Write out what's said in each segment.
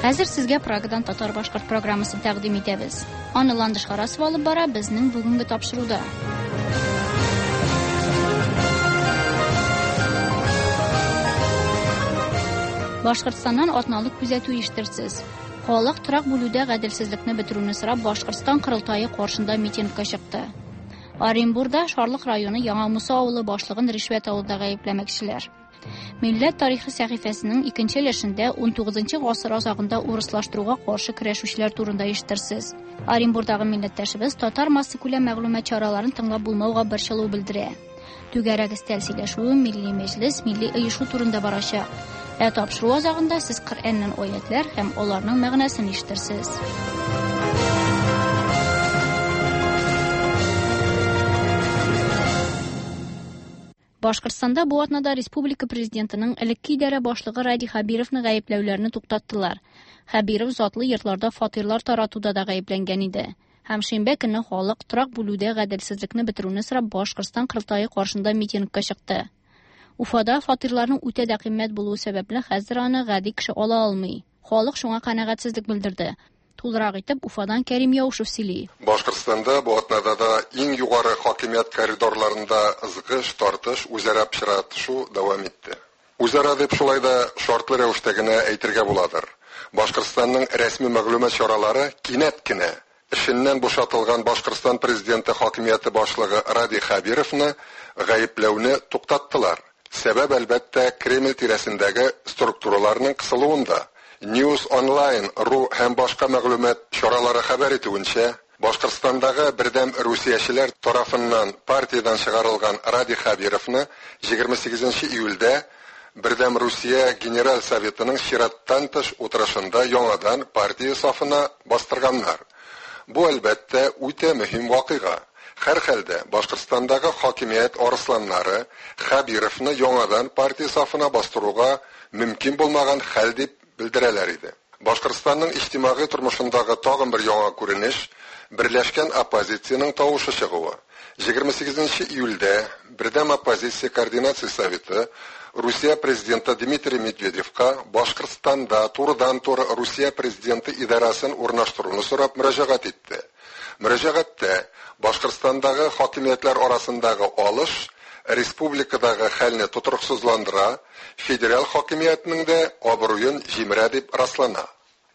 Хәзер сезгә Прагадан татар-башкорт программасын тәкъдим итәбез. Аны Ландыш Харасова алып бара безнең бүгенге тапшыруда. Башкортстаннан атналык күзәтү ишетерсез. Халык торак бүлүдә гаделсезлекне бетерүне сорап Башкортстан корылтае каршында митингка чыкты. Оренбурда Шарлык районы Яңа Муса авылы башлыгын ришвәт алуда гаепләмәкчеләр. Милләт тарихы сәхифәсенең икенче өлешендә 19 гасыр азагында урыслаштыруга каршы көрәшүчеләр турында ишетерсез. Оренбурдагы милләттәшебез татар массакүләм мәгълүмат чараларын тыңлап булмауга борчылу белдерә. Түгәрәк өстәл сөйләшүе Милли мәҗлес, милли оешу турында барачак. Ә тапшыру азагында сез Коръәннән аятлар һәм аларның мәгънәсен ишетерсез. Башкортстанда бу атнада республика президентының элекке идарә башлыгы Радий Хәбировны гаепләүләрне туктаттылар. Хәбиров затлы йортларда фатирлар таратуда да гаепләнгән иде. Һәм шимбә көнне халык торак бүлүдә гаделсезлекне бетерүне сорап Башкортстан корылтае каршында митингка чыкты. Уфада фатирларның үтә дә кыйммәт булуы сәбәпле хәзер аны гади кеше ала алмый. Халык шуңа канәгатьсезлек белдерде. Тулырак итеп Уфадан Кәрим Яушев сөйли. Башкортстанда бу атнада да иң югары хакимият коридорларында ызгыш, тартыш, үзара пычратышу дәвам итте. Үзара дип шулай да шартлы рәвештә генә әйтергә буладыр. Башкортстанның рәсми мәгълүмат чаралары кинәт кенә эшеннән бушатылган Башкортстан президенты хакимияте башлыгы Радий Хәбировны гаепләүне туктаттылар. Сәбәп, әлбәттә, Кремль тирәсендәге структураларның кысылуында. News Online РУ һәм башка мәгълүмат чаралары хәбәр итүенчә, Башкортстандагы бердәм русиячеләр тарафыннан партиядән чыгарылган Радий Хәбировны 28 июльдә Бердәм Русия Генераль Советының чираттан тыш утырышында яңадан партия сафына бастырганнар. Бу, әлбәттә, үтә мөһим вакыйга. Һәрхәлдә Башкортстандагы хакимият арысланнары Хәбировны яңадан партия сафына бастыруга мөмкин булмаган хәл дип белдерәләр иде. Башкортстанның иҗтимагый тормышындагы тагын бер яңа күренеш берләшкән оппозициянең тавышы чыгуы. 28 июльдә Бердәм оппозиция координация советы Русия президенты Дмитрий Медведевка Башкортстанда турыдан-туры Русия президенты идарәсен урнаштыруны сорап мөрәҗәгать итте. Мөрәҗәгатьтә Башкортстандагы хакимиятләр арасындагы алыш республикадагы хәлне тотрыксызландыра, федераль хакимиятнең дә абруен җимерә дип раслана.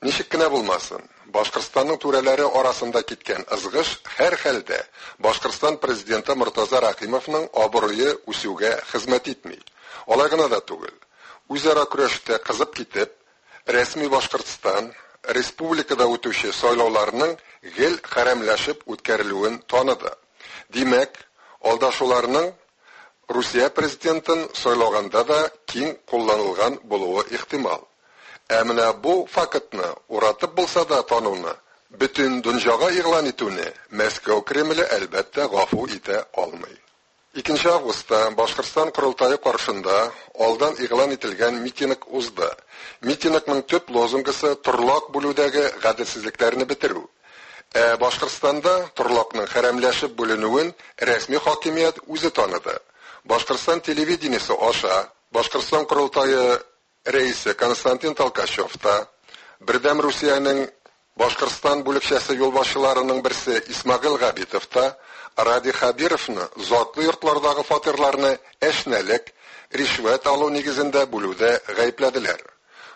Ничек кенә булмасын, Башкортстанның түрәләре арасында киткән ызгыш һәр хәлдә Башкортстан президенты Мортаза Рәхимовның абруе үсүгә хезмәт итми. Алай гына да түгел. Үзара көрәштә кызып китеп, рәсми Башкортстан республикада үтүче сайлауларның гел хәрәмләшеп үткәрелүен таныды. Димәк, алдашуларның Русия президентын сайлаганда да киң кулланылган булуы ихтимал. Ә менә бу фактны уратып булса да тануны, бөтен дөньяга игълан итүне Мәскәү Кремле әлбәттә гафу итә алмый. 2 августта Башкортстан корылтае каршында алдан игълан ителгән митинг узды. Митингның төп лозунгысы торлак бүлүдәге гаделсезлекләрне бетерү. Ә Башкортстанда торлакның хәрәмләшеп бүленүен рәсми хакимият үзе таныды. Башкортстан телевидениесе аша Башкортстан корылтае рәисе Константин Толкачев та, Бердәм Русиянең Башкортстан бүлекчәсе юлбашчыларының берсе Исмагыйл Габитов та Радий Хәбировны затлы йортлардагы фатирларны әшнәлек, ришвәт алу нигезендә бүлүдә гаепләделәр.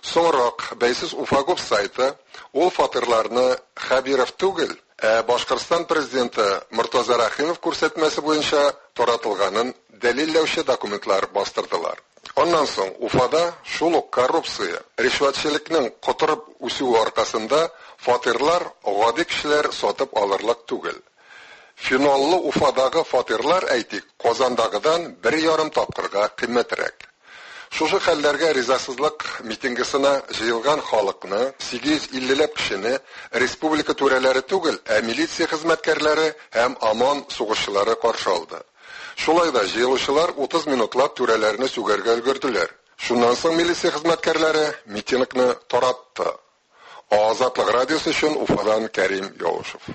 Соңрак бәйсез Уфагов сайты ул фатирларны Хәбиров түгел, ә Башкортстан президенты Мортаза Рәхимов күрсәтмәсе буенча таратылганын дәлилләүче документлар бастырдылар. Аннан соң Уфада шул ук коррупция, ришвәтчелекнең котырып үсүе аркасында фатирлар гади кешеләр сатып алырлык түгел. Феноллы Уфадагы фатирлар, әйтик, Казандагыдан 1,5 тапкырга кыйммәтрәк. Шушы хәлләргә ризасызлык митингысына җыелган халыкны 850ләп кешене республика түрәләре түгел, ә милиция хезмәткәрләре һәм ОМОН сугышчылары каршы алды. Шулай да җыелучылар 30 минутлап түрәләрне сүгәргә өлгерделәр. Шуннан соң милиция хезмәткәрләре митингны таратты. Азатлык радиосы өчен Уфадан Кәрим Яушев.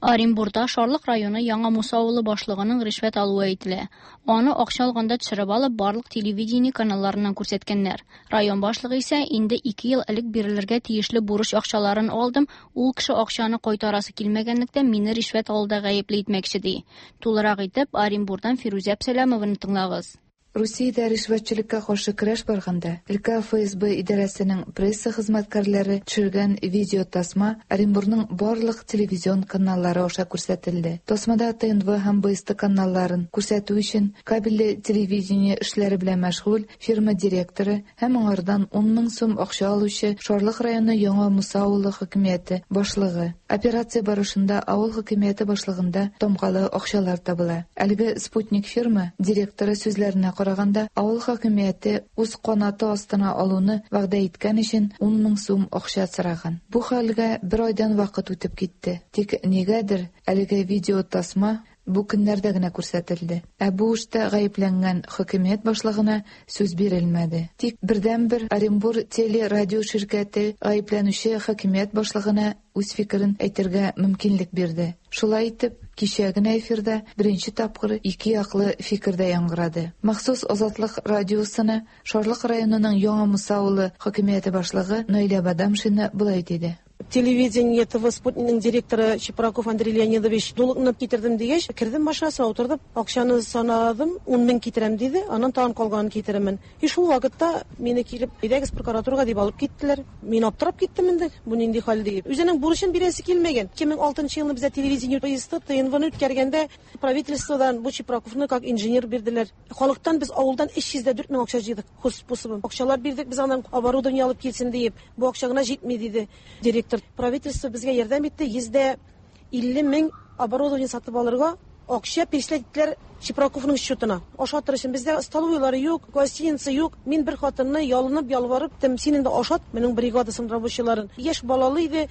Оренбурда Шарлык районы Яңа Муса авылы башлыгының ришвәт алуы әйтелә. Аны акча алганда төшереп алып, барлык телевидение каналларыннан күрсәткәннәр. Район башлыгы исә инде 2 ел элек бирелергә тиешле бурыч акчаларын алдым, ул кеше акчаны кайтарасы килмәгәнлектән мине ришвәт алуда гаепле итмәкче ди. Тулырак итеп Оренбурдан Фирүзә Әпсәләмованы тыңлагыз. Русиядә ришвәтчелеккә каршы көрәш барганда, өлкә ФСБ идарәсенең пресса хезмәткәрләре төшергән видеотасма Оренбурның барлык телевизион каналлары аша күрсәтелде. Тасмада ТНВ һәм БСТ каналларын күрсәтү өчен кабельле телевидение эшләре белән мәшгуль фирма директоры һәм аңардан 10 мең сум акча алучы Шарлык районы Яңа Муса авылы хакимияте башлыгы. Операция барышында авыл хакимияте башлыгында тамгалы акчалар табыла. Әлеге Спутник фирма директоры сүзләренә караганда, авыл хакимияте үз канаты астына алуны вәгъдә иткән өчен 10 мең сум акча сораган. Бу хәлгә бер айдан вакыт үтеп китте. Тик нигәдер әлеге видеотасма бу көннәрдә генә күрсәтелде. Ә бу эштә гаепләнгән хакимият башлыгына сүз бирелмәде. Тик бердәнбер Оренбур телерадио ширкәте гаепләнүче хакимият башлыгына үз фикерен әйтергә мөмкинлек бирде. Шулай итеп, кичә генә эфирда беренче тапкыр ике яклы фикер дә яңгырады. Махсус Азатлык радиосына Шарлык районының Яңа Муса авылы хакимияте башлыгы Наилә Бадамшина болай диде. Телевидение ТВ Спутникның директоры Чепраков Андрей Леонидович долгны китердем дигәч, кердем машинасына утырдым, акчаны санадым, 10 мең китерәм диде, аннан тагын калганын китерәмен. И шул вакытта мине килеп, әйдәгез прокуратурага дип алып киттеләр. Мин аптырап киттем инде, бу нинди хәл дип. Үзенең бурычын бирәсе килмәгән. 2006 елны бездә телевидение поезды ТНВны үткәргәндә правительстводан бу Чепраковны как инженер бирделәр. Халыктан без авылдан 304 мең акча җыйдык, хозспособом. Акчалар бирдек без аннан оборудование алып килсен диеп. Бу акча гына җитми диде директор. Правительство безгә ярдәм итте, 150 мең оборудование сатып алырга акча перечислять иттеләр Чепраковның счетына. Ашатыр өчен бездә столовыйлары юк, гостиница юк. Мин бер хатынны ялынып, ялварып, тем, син инде ашат, минем бригадасын рабочийларын. Яшь балалы иде,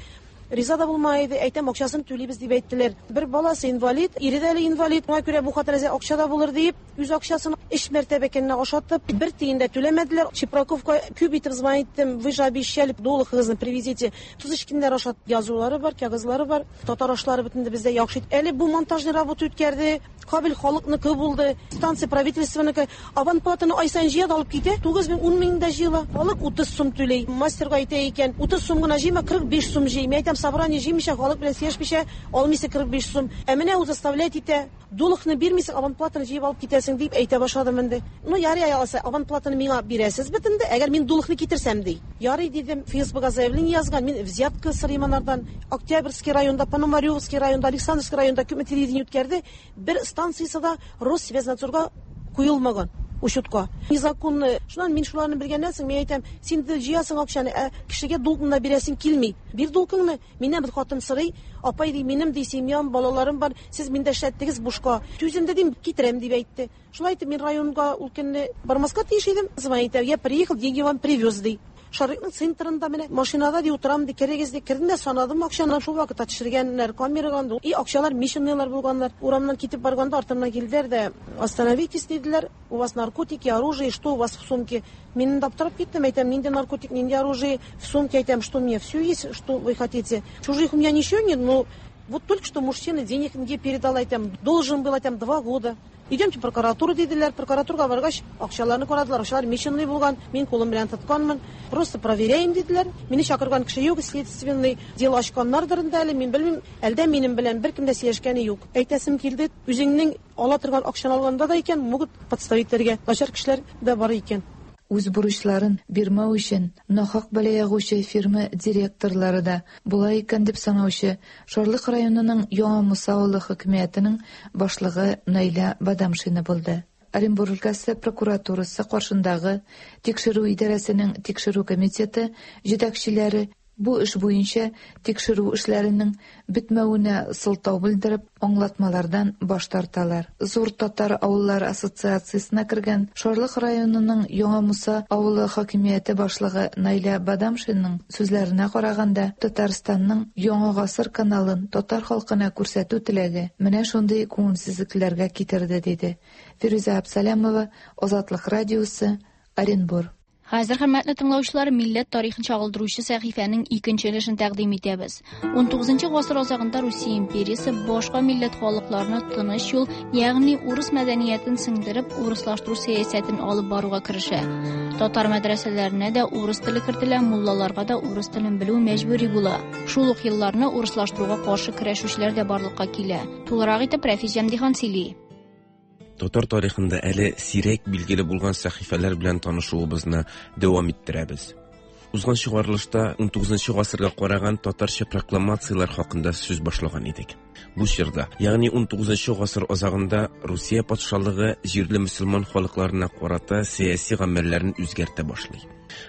риза да булмай иде, әйтәм, акчасын түлибез дип әйттеләр. Бер баласы инвалид, ире дә әле инвалид. Шуңа күрә бу хатын әзер акча да булыр дип, үз акчасын өч мәртәбә көненә ашатып, бер тиен дә түләмәделәр. Чепраковка күп итеп звонить иттем, вы же обещали, долг-ыгызны привезите. Тоз эчкеннәр ашат язулары бар, кәгазьләре бар. Татар ашлары бөтен дә бездә яхшы. Әле бу монтажный работа үткәрде. Кабель халыкныкы булды, станция правительственныкы. Абонплатаны ай саен җыя да алып китә. 9 мең, 10 мең дә җыела. Халык 30 сум түләй. Мастерга әйтә икән, 30 сум гына җыйма, 45 сум җый. Мин әйтәм, собрание җыймыйча, халык белән сөйләшмичә, алмыйсың 45 сум. Ә менә ул заставлять итә. Долгны бирмисең, абонплатаны җыеп алып китәсең дип әйтә башладым инде. Ну, ярый, алса, абонплатаны миңа бирәсез бит инде, әгәр мин долгны китерсәм ди. Ярый дидем, ФСБга заявление язган, мин взятка сорыйм анардан. Октябрьский районда, Пономаревский районда, Александровский районда күпме телевидение үткәрде, бер станциясе дә Россвязнадзорга куелмаган учетка. Незаконно. Шуннан мин шуларны белгәннән соң мин әйтәм, син дә җыясың акчаны, ә кешегә долгны да бирәсең килми. Бир долгыңны. Миннән бер хатын сорый, апай ди, минем ди семьям, балаларым бар, сез миндә эшләттегез бушка. Түзем дә дим, китерәм дип әйтте. Шулай итеп мин районга ул көнне бармаска тиеш идем. Звонит, я приехал, деньги вам привез ди. Шарыкның центрында менә машинада ди утырам ди, керегез ди. Кердем дә санадым акчаны, шул вакытта төшергәннәр камерага инде. И акчалар мишенныйлар булганнар. Урамнан китеп барганда артымнан килделәр дә, остановитесь диделәр. У вас наркотики, оружие, что у вас в сумке? Мин инде аптырап киттем, әйтәм, нинди наркотик, нинди оружие в сумке, әйтәм, что мне все есть, что вы хотите. Чужих у меня ничего нет, но вот только что мужчина денег мне передал, әйтәм, должен был, әйтәм, 2 года. Идемте в прокуратуру, диделәр. Прокуратурага баргач, акчаларны карадылар. Акчалар мишенный булган. Мин кулым белән тотканмын. Просто проверяем, диделәр. Мине чакырган кеше юк, следственный дело ачканнардыр инде әле, мин белмим. Әлдә минем белән беркем дә сөйләшкәне юк. Әйтәсем килде, үзеңнең ала торган акчаны алганда да икән, могут подставить итәргә. Начар кешеләр дә бар икән. Үз бурычларын бирмәү өчен нахак бәла ягучы фирма директорлары да була икән дип санаучы Шарлык районының Яңа Муса авылы хакимиятенең башлыгы Наилә Бадамшина булды. Оренбург өлкәсе прокуратурасы каршындагы тикшерү идарәсенең тикшерү комитеты җитәкчеләре бу эш буенча тикшерү эшләренең бетмәвенә сылтау белдереп, аңлатмалардан баш тарталар. Зур татар авыллары ассоциациясенә кергән Шарлык районының Яңа Муса авылы хакимияте башлыгы Наилә Бадамшинаның сүзләренә караганда, Татарстанның Яңа гасыр каналын татар халкына күрсәтү теләге менә шундый күңелсезлекләргә китерде, диде. Фирүзә Абсалямова, Азатлык радиосы, Оренбург. Хәзер, хөрмәтле тыңлаучылар, милләт тарихын чагылдыручы сәхифәнең икенче өлешен тәкъдим итәбез. 19 гасыр азагында Русия империясе башка милләт халыкларына тыныч юл, ягъни урыс мәдәниятен сеңдереп, урыслаштыру сәясәтен алып баруга керешә. Татар мәдрәсәләренә дә урыс теле кертелә, муллаларга да урыс телен белү мәҗбүри була. Шул ук елларны урыслаштыруга каршы көрәшүчеләр дә барлыкка килә. Тулырак итеп Рәфис Җәмдихан сөйли. Татар тарихында әле сирәк билгеле булган сәхифәләр белән танышуыбызны дәвам иттерәбез. Узган чыгарылышта 19 гасырга караган татарча прокламацияләр хакында сүз башлаган идек. Бу чорда, ягъни 19 гасыр азагында Русия патшалыгы җирле мөселман халыкларына карата сәяси гамәлләрен үзгәртә башлый.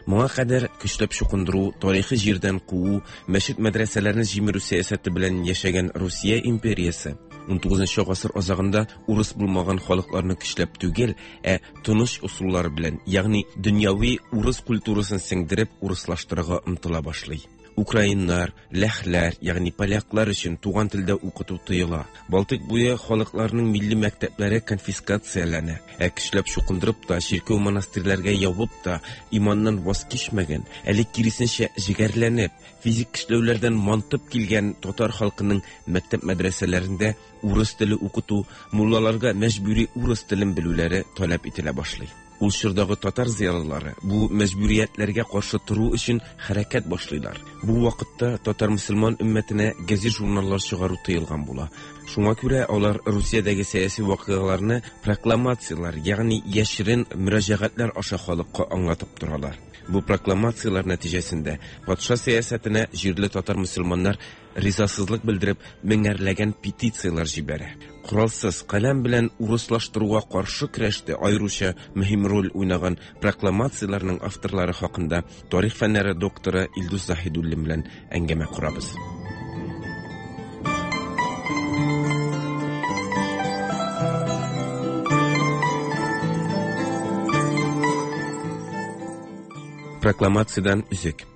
Моңа кадәр көчләп чукындыру, тарихи җирдән куу, мәчет-мәдрәсәләрне җимерү сәясәте белән яшәгән Русия империясе 19 гасыр азагында урыс булмаган халыкларны көчләп түгел, ә тыныч ысуллар белән, ягъни дөньяви урыс культурасын сеңдереп урыслаштырырга омтыла башлый. Украиннар, ләхләр, ягъни поляклар өчен туган телдә укыту тыела. Балтыйк буе халыкларының милли мәктәпләре конфискацияләнә. Ә көчләп чукындырып та, чиркәү монастырьләргә ябып та иманнан ваз кичмәгән, әле киресенчә җегәрләнеп, физик көчләүләрдән мантып килгән татар халкының мәктәп мәдрәсәләрендә урыс теле укыту, муллаларга мәҗбүри урыс телен белүләре таләп ителә башлый. Ул чордагы татар зыялылары бу мәҗбүриятләргә каршы тору өчен хәрәкәт башлыйлар. Бу вакытта татар мөселман өммәтенә газет-журналлар чыгару тыелган була. Шуңа күрә алар Русиядәге сәяси вакыйгаларны прокламацияләр, ягъни яшерен мөрәҗәгатьләр аша халыкка аңлатып торалар. Бу прокламацияләр нәтиҗәсендә патша сәясәтенә җирле татар мөселманнар ризасызлык белдереп меңәрләгән петицияләр җибәрә. Коралсыз каләм белән урыслаштыруга каршы көрәштә аеруча мөһим роль уйнаган прокламацияләрнең авторлары хакында тарих фәннәре докторы Илдус Заһидуллин белән әңгәмә корабыз. Прокламациядән өзек.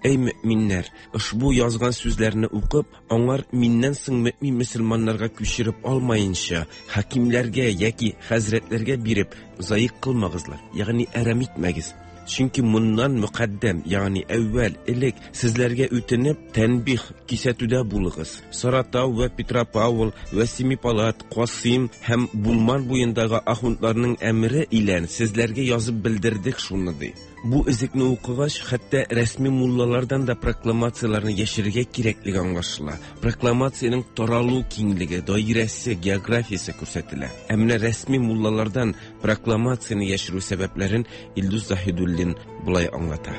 Әй мөэминнәр, ошбу язган сүзләрне укып, аңар миннән соң мөэмин мөселманнарга күчереп алмаенча, хакимләргә яки хәзрәтләргә биреп, заик кылмагызлар, ягъни әрәм итмәгез. Чөнки моннан мөкаддәм, ягъни әүвәл, элек сезләргә үтенеп, тәнбих, кисәтүдә булыгыз. Саратау вә Петропавл вә Семипалат, Касыйм һәм Булман буендагы ахундларның әмере илән сезләргә язып белдердек шуны, ди. Бу өзекне укыгач, хәтта рәсми муллалардан да прокламацияләрне яшерергә кирәклеге аңлашыла. Прокламациянең таралу киңлеге, даирәсе, географиясе күрсәтелә. Ә менә рәсми муллалардан прокламацияне яшерү сәбәпләрен Илдус Заһидуллин болай аңлата.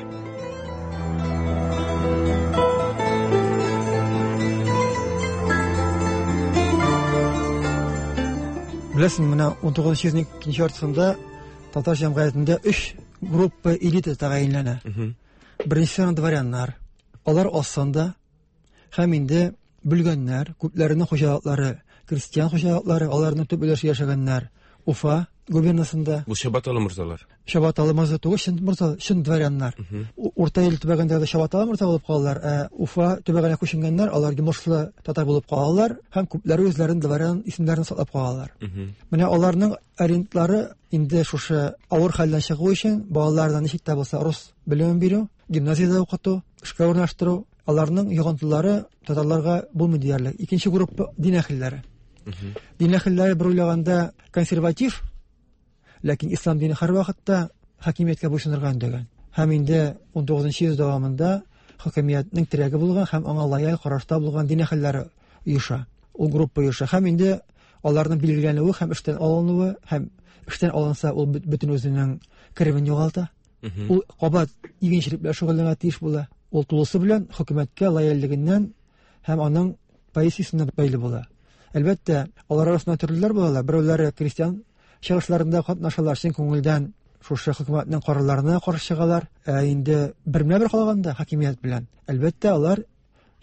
Беләсең, менә 19 йөзнең икенче яртысында татар җәмгыятендә өч группа элита тәгаенләнә. Беренчесе дворяннар. Алар аз санда һәм инде бүлгәннәр, күпләренең хуҗалыклары, крестьян хуҗалыклары, аларның төп өлеше яшәгәннәр Уфа губернасында. Бу Чабаталы морзалар. Чабаталы морза түгел, чын морза, чын дворяннар. Урта Ил төбәгендә дә Чабаталы морза булып калалар, ә Уфа төбәгенә күченгәннәр, алар йомышлы татар булып калалар һәм күпләре үзләрен дворян исемнәрен саклап калалар. Менә аларның ориентлары инде шушы авыр хәлдән чыгу өчен балаларына ничек тә булса рус белемен бирү, гимназиядә укыту, эшкә урнаштыру, аларның йогынтылары татарларга булмый диярлек. Икенче группа дин әһелләре. Дин әһелләре бер уйлаганда консерватив, ләкин ислам дине һәрвакытта хакимияткә буйсынырга өндәгән. Һәм инде 19 йөз дәвамында хакимиятнең терәге булган һәм аңа лояль карашта булган дин әһелләре оеша. Ул группа оеша. Һәм инде аларның билгеләнүе һәм эштән алынуы, һәм эштән алынса, ул бөтен үзенең керемен югалта. Ул кабат игенчелек белән шөгыльләнергә тиеш була. Ул тулысы белән хөкүмәткә лояльлегеннән һәм аның позициясенә бәйле була. Әлбәттә, алар арасында төрлеләр булалар. Берәүләре крестьян чыгышларында катнашалар, чын күңелдән шушы хөкүмәтнең карарларына каршы чыгалар. Ә инде бермә-бер калганда хакимият белән, әлбәттә, алар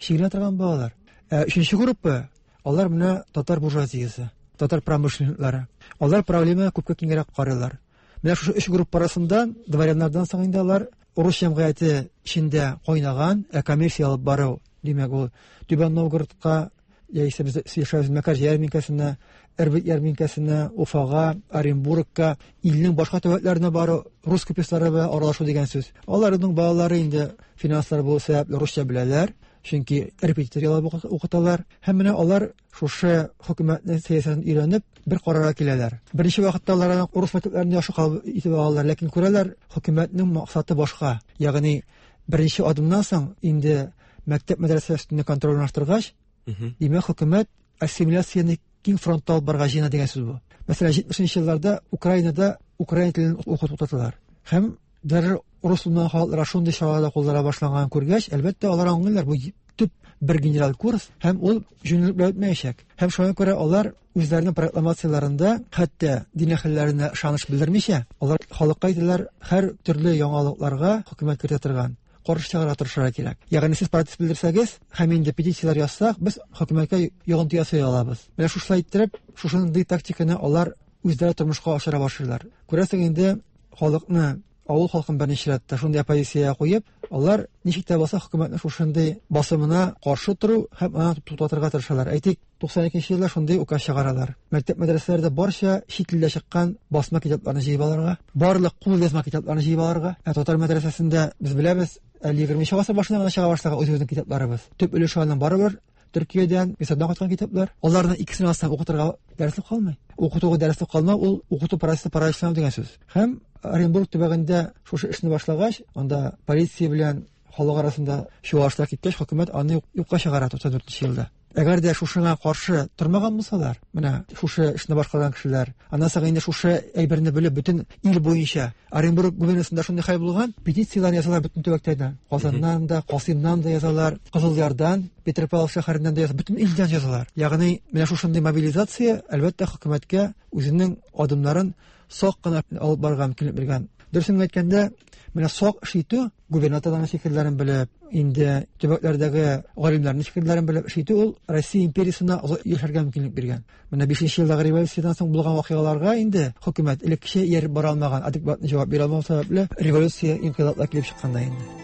чигенә торган булалар. Ә өченче группа, алар менә татар буржуазиясе, татар промышленниклары. Алар проблемага күпкә киңрәк карыйлар. Менә шушы өч группа арасында дворяннардан соң инде алар урыс җәмгыяте эчендә кайнаган, ә коммерция алып бару, димәк, ул Түбән Новгородка, Яисә без сөйләшәбез Мәкәрҗә ярминкәсенә, Эрбет ярминкәсенә, Уфага, Оренбургка, илнең башка төбәкләренә бару, рус купецлары белән аралашу дигән сүз. Аларның балалары инде финанслар булу сәбәпле русча беләләр, чөнки репетитор яллап укыталар. Һәм менә алар шушы хөкүмәтнең сәясәтен өйрәнеп, бер карарга киләләр. Беренче вакытта алар аны урыс мәктәпләрендә яхшы кабул итеп алалар, ләкин күрәләр, хөкүмәтнең максаты башка. Ягъни беренче адымнан соң инде мәктәп мәдрәсә өстендә контроль урнаштыргач, димәк, хөкүмәт ассимиляцияне киң фронтта алып барырга җыена дигән сүз бу. Мәсәлән, 70 елларда Украинада украин телен укыту туктаталар. Һәм дәррәү урыс булмаган халыкларга шундый чаралар куллана башланганын күргәч, әлбәттә, алар аңлыйлар, бу төп бер генераль курс һәм ул җүнлелек белән үтмәячәк. Һәм шуңа күрә алар үзләренең прокламацияләрендә хәтта дин әһелләренә ышаныч белдермичә, алар халыкка әйтәләр, һәр төрле яңалыкларга хөкүмәт кертә торган каршы чыгарга тырышырга кирәк. Ягъни сез протест белдерсәгез һәм инде петицияләр язсак, без хөкүмәткә йогынты ясый алабыз. Менә шушылай иттереп, шушындый тактиканы алар үзләре тормышка ашыра башлыйлар. Күрәсең инде, халыкны, авыл халкын берничә рәттә шундый оппозициягә куеп, алар ничек тә булса хөкүмәтнең шушындый басымына каршы тору һәм аны туктатырга тырышалар. Әйтик, 92 елда шундый указ чыгаралар. Мәктәп мәдрәсәләрдә барча чит илдә чыккан басма китапларны җыеп алырга, барлык кул язма китапларны җыеп алырга. Ә татар мәдрәсәсендә без беләбез, әле 20 гасыр башында гына чыга башлаган үзебезнең китапларыбыз. Төп өлеше аның барыбер Төркиядән, Мисырдан кайткан китаплар. Аларның икесен алсаң укытырга дәреслек калмый. Укытуга дәреслек калмау ул укыту процессы параличлану дигән сүз. Һәм Оренбург төбәгендә шушы эшне башлагач, анда полиция белән халык арасында чуалышлар киткәч, хөкүмәт аны юкка чыгара 94 елда. Әгәр дә шушыңа каршы тормаган булсалар, менә шушы эшне башкарган кешеләр, аннан соң инде шушы әйберне белеп бөтен ил буенча Оренбург губернасында шундый хәл булган, петицияләр язалар бөтен төбәктән, Казаннан да, Касыймнан да язалар, Кызылъярдан, Петропавловск шәһәреннән дә язалар, бөтен илдән язалар. Ягъни менә шушындый мобилизация, әлбәттә, хөкүмәткә үзенең адымнарын сак кына алып барырга мөмкинлек биргән. Дөресен әйткәндә, менә сак эш итү, губернаторларның фикерләрен белеп, инде төбәкләрдәге галимнәрнең фикерләрен белеп эш итү ул Россия империясенә озак яшәргә мөмкинлек биргән. Менә 5 елдагы революциядән соң булган вакыйгаларга инде хөкүмәт элеккечә ияреп бара алмаган, адекватный җавап бирә алмау сәбәпле революция, инкыйлаблар килеп чыккан да инде.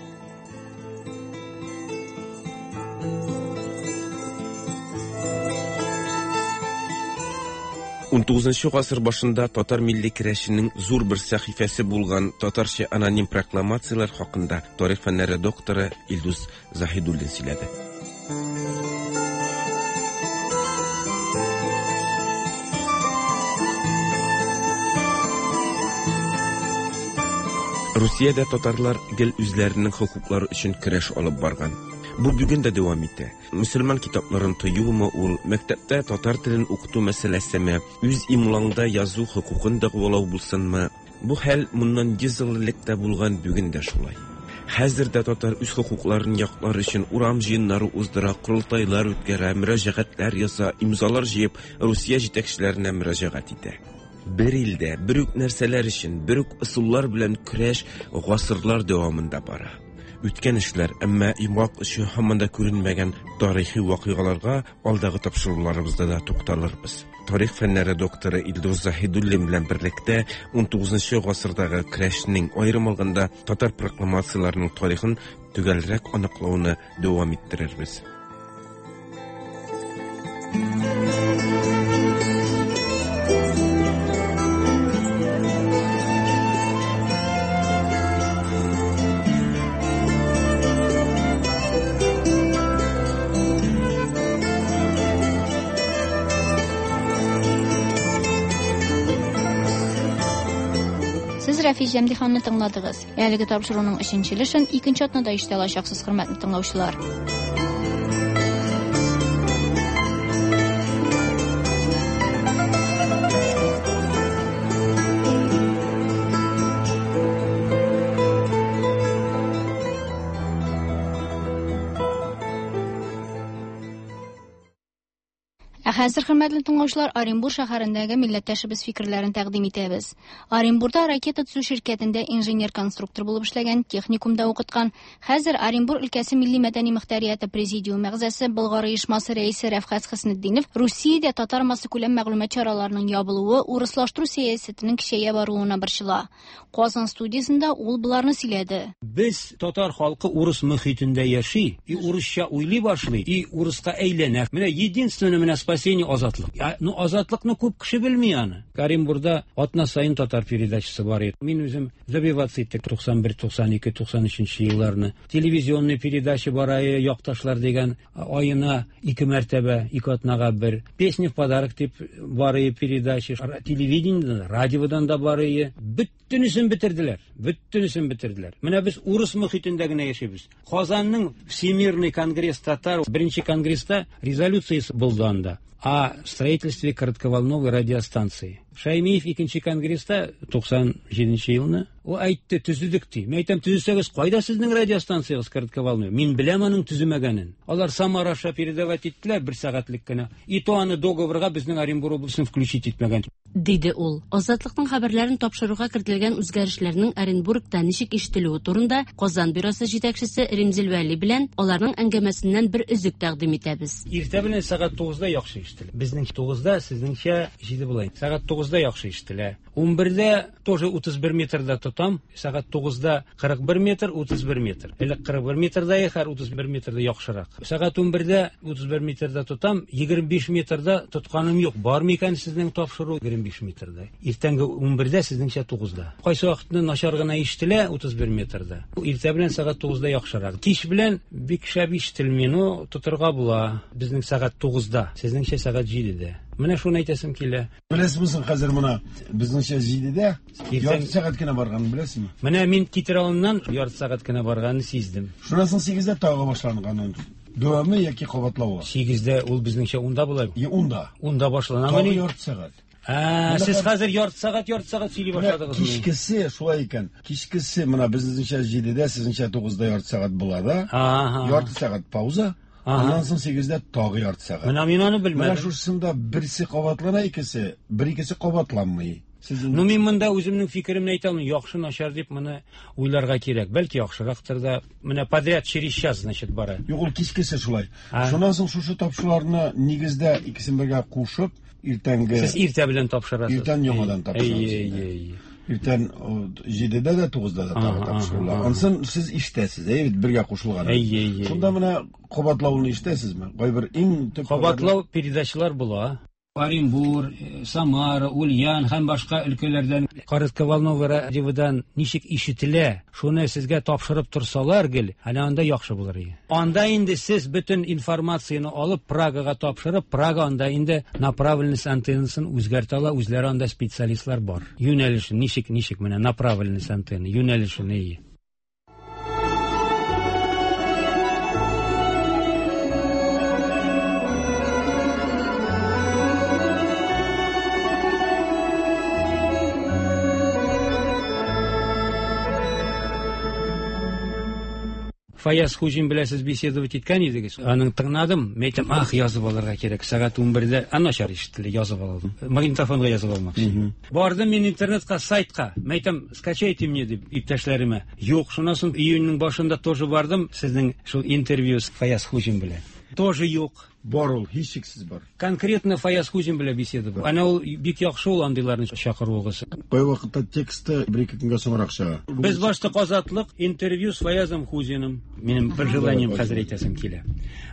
Унтугызынчы гасыр башында татар милли көрәшенең зур бер сәхифәсе булган татарча аноним прокламацияләр хакында тарих фәннәре докторы Илдус Заһидуллин сөйләде. Русиядә татарлар гел үзләренең хокуклары өчен көрәш алып барган. Бу бүген дә дәвам итә. Мөселман китапларын тыюмы ул, мәктәптә татар телен укыту мәсьәләсеме, үз имлаңда язу хокукын дәгъвалау булсынмы, бу хәл моннан 100 ел элек тә булган, бүген дә шулай. Хәзер дә татар үз хокукларын яклар өчен урам җыеннары уздыра, корылтайлар үткәрә, мөрәҗәгатьләр яза, имзалар җыеп, Русия җитәкчеләренә мөрәҗәгать итә. Бер илдә, бер үк нәрсәләр өчен, бер үк ысуллар белән көрәш гасырлар дәвамында бара. Үткән эшләр, әмма йомгак очы һаман да күренмәгән тарихи вакыйгаларга алдагы тапшыруларыбызда да тукталырбыз. Тарих фәннәре докторы Илдус Заһидуллин белән берлектә 19 гасырдагы көрәшнең, аерым алганда татар прокламацияләренең тарихын төгәлрәк аныклауны дәвам иттерербез. Сез Рәфис Җәмдиханны тыңладыгыз. Әлеге тапшыруның өченче өлешен икенче атнада ишетә алачаксыз, хөрмәтле тыңлаучылар. Ә хәзер, хөрмәтле тыңлаучылар, Оренбур шәһәрендәге милләттәшебез фикерләрен тәкъдим итәбез. Оренбурда ракета төзү ширкәтендә инженер-конструктор булып эшләгән, техникумда укыткан, хәзер Оренбур өлкәсе милли мәдәни мөхтәрияте президиум әгъзасы, Болгар оешмасы рәисе Рәфкать Хөснетдинов Русиядә татар массакүләм мәгълүмат чараларының ябылуы урыслаштыру сәясәтенең көчәя баруына борчыла. Казан студиясендә ул боларны сөйләде. Без татар халкы урыс мөхитендә яши, и урысча уйлый башлый, и урыска әйләнә. Менә единственное менә спасение азатлык. Ну азатлыкны күп кеше белми аны. Оренбурда атна саен татар передачасы бар иде. Мин үзем добиваться иттек 91, 92, 93 елларны. Телевизионный передача бар якташлар дигән аена ике мәртәбә, ике атнага бер. Песни в подарок дип бар передача. Телевидениедән, радиодан да бар. Бөтенесен бетерделәр. Бөтенесен бетерделәр. Менә без урыс мөхитендә генә яшибез. Казанның Всемирный конгресс татар беренче конгресста резолюциясе булды анда о строительстве коротковолновой радиостанции. Шаймиев икенче конгресста 97 елны ул әйтте, төзедек ди. Мин әйтәм, төзесәгез, кайда сезнең радиостанциягез коротковолновой? Мин беләм аның төземәгәнен. Алар Самара аша передавать иттеләр бер сәгатьлек кенә. И то аны договорга безнең Оренбур обласын включить итмәгән. Диде ул. Азатлыкның хәбәрләрен тапшыруга кертелгән үзгәрешләрнең Оренбургта ничек ишетелүе турында Казан бюросы җитәкчесе Римзил Вәли белән аларның әңгәмәсеннән бер өзек тәкъдим итәбез. Иртә белән сәгать 9-да яхшы ишетелә. Безнең 9-да, сезнеңчә 7 була. Сәгать 9-да яхшы ишетелә. 11-дә тоже 31 метрда тотам. Сәгать 9-да 41 метр, 31 метр. Элек 41 метрда хәр 31 метрда яхшырак. Сәгать 11-дә 31 метрда тотам, 25 метрда тотканым юк. Бар микән сезнең тапшыру 25 метрда? Иртәнге 11-дә, сезнеңчә 9-да. Кайсы вакытны начар гына ишетелә 31 метрда. Иртә белән сәгать 9-да яхшырак. Кич белән бик шәп ишетелми, но тотырга була. Безнең сәгать 9-да, сезнеңчә сәгать 7-дә. Менә шуны әйтәсем килә. Беләсезме соң хәзер моны безнеңчә 7-дә ярты сәгать кенә барганын беләсезме? Менә мин китер алдыннан ярты сәгать кенә барганын сиздем. Шуннан соң 8-дә тагы башланган. Дәвамы яки кабатлавы? 8-дә ул безнеңчә 10-да була. 10-да. 10-да башлана. Тагы ярты сәгать. Сез хәзер ярты сәгать сөйли башладыгыз. Кичкесе шулай икән. Кичкесе менә безнеңчә 7-дә, сезнеңчә 9-да ярты сәгать була да. Ярты сәгать пауза. Аннан соң 8-дә тагы ярты сәгать. Менә мин аны белмәдем. Менә шушында берсе кабатлана, икесе, бер икесе кабатланмый. Ну мин монда үземнең фикеремне әйтә алмыйм. Яхшы, начар дип моны уйларга кирәк. Бәлки яхшырактыр да. Менә подряд через час, значит, бара. Юк, ул кичкесе шулай. Шуннан соң шушы тапшыруларны нигездә икесен бергә кушып, иртәнге Сез иртә белән тапшырасыз. Иртән яңадан тапшырасыз. Иртән 7-дә дә 9-да да тагы тапшырыла. Ансын сез ишетәсез, әйе бит, бергә кушылган. Шунда менә кабатлауны ишетәсезме? Кайбер иң төп кабатлау передачалар була. Оренбур, Самара, Ульян һәм башка өлкәләрдән коротковолновый радиодан ничек ишетелә, шуны сезгә тапшырып торсалар гел, әнә анда яхшы булыр иде. Анда инде сез бөтен информацияне алып Прагага тапшырып, Прага анда инде направленность антеннасын үзгәртә ала, үзләре анда специалистлар бар. Юнәлешен ничек, ничек менә направленность антенна, юнәлешен ие. Фаяз Хуҗин белән сез беседовать иткән идегез. Аның тыңладым, мин әйтәм, ах, язып алырга кирәк. Сәгать 11-дә, а начар ишетелде, язып алдым. Магнитофонга язып алмакчы. Бардым мин интернетка, сайтка. Мин әйтәм, скачайте мне дип иптәшләремә. Юк, шуннан соң июньнең башында тоже бардым, сезнең шул интервью с Фаяз Хуҗин белән. Тоже юк. Бар ул, һичшиксез бар. Конкретно Фаяз Хуҗин белән беседа бар. Әнә ул бик яхшы ул андыйларны чакыруыгыз. Кай вакытта тексты бер-ике көнгә соңрак чыга. Без башта Азатлык интервью с Фаязом Хуҗиным. Минем бер желанием хәзер әйтәсем килә.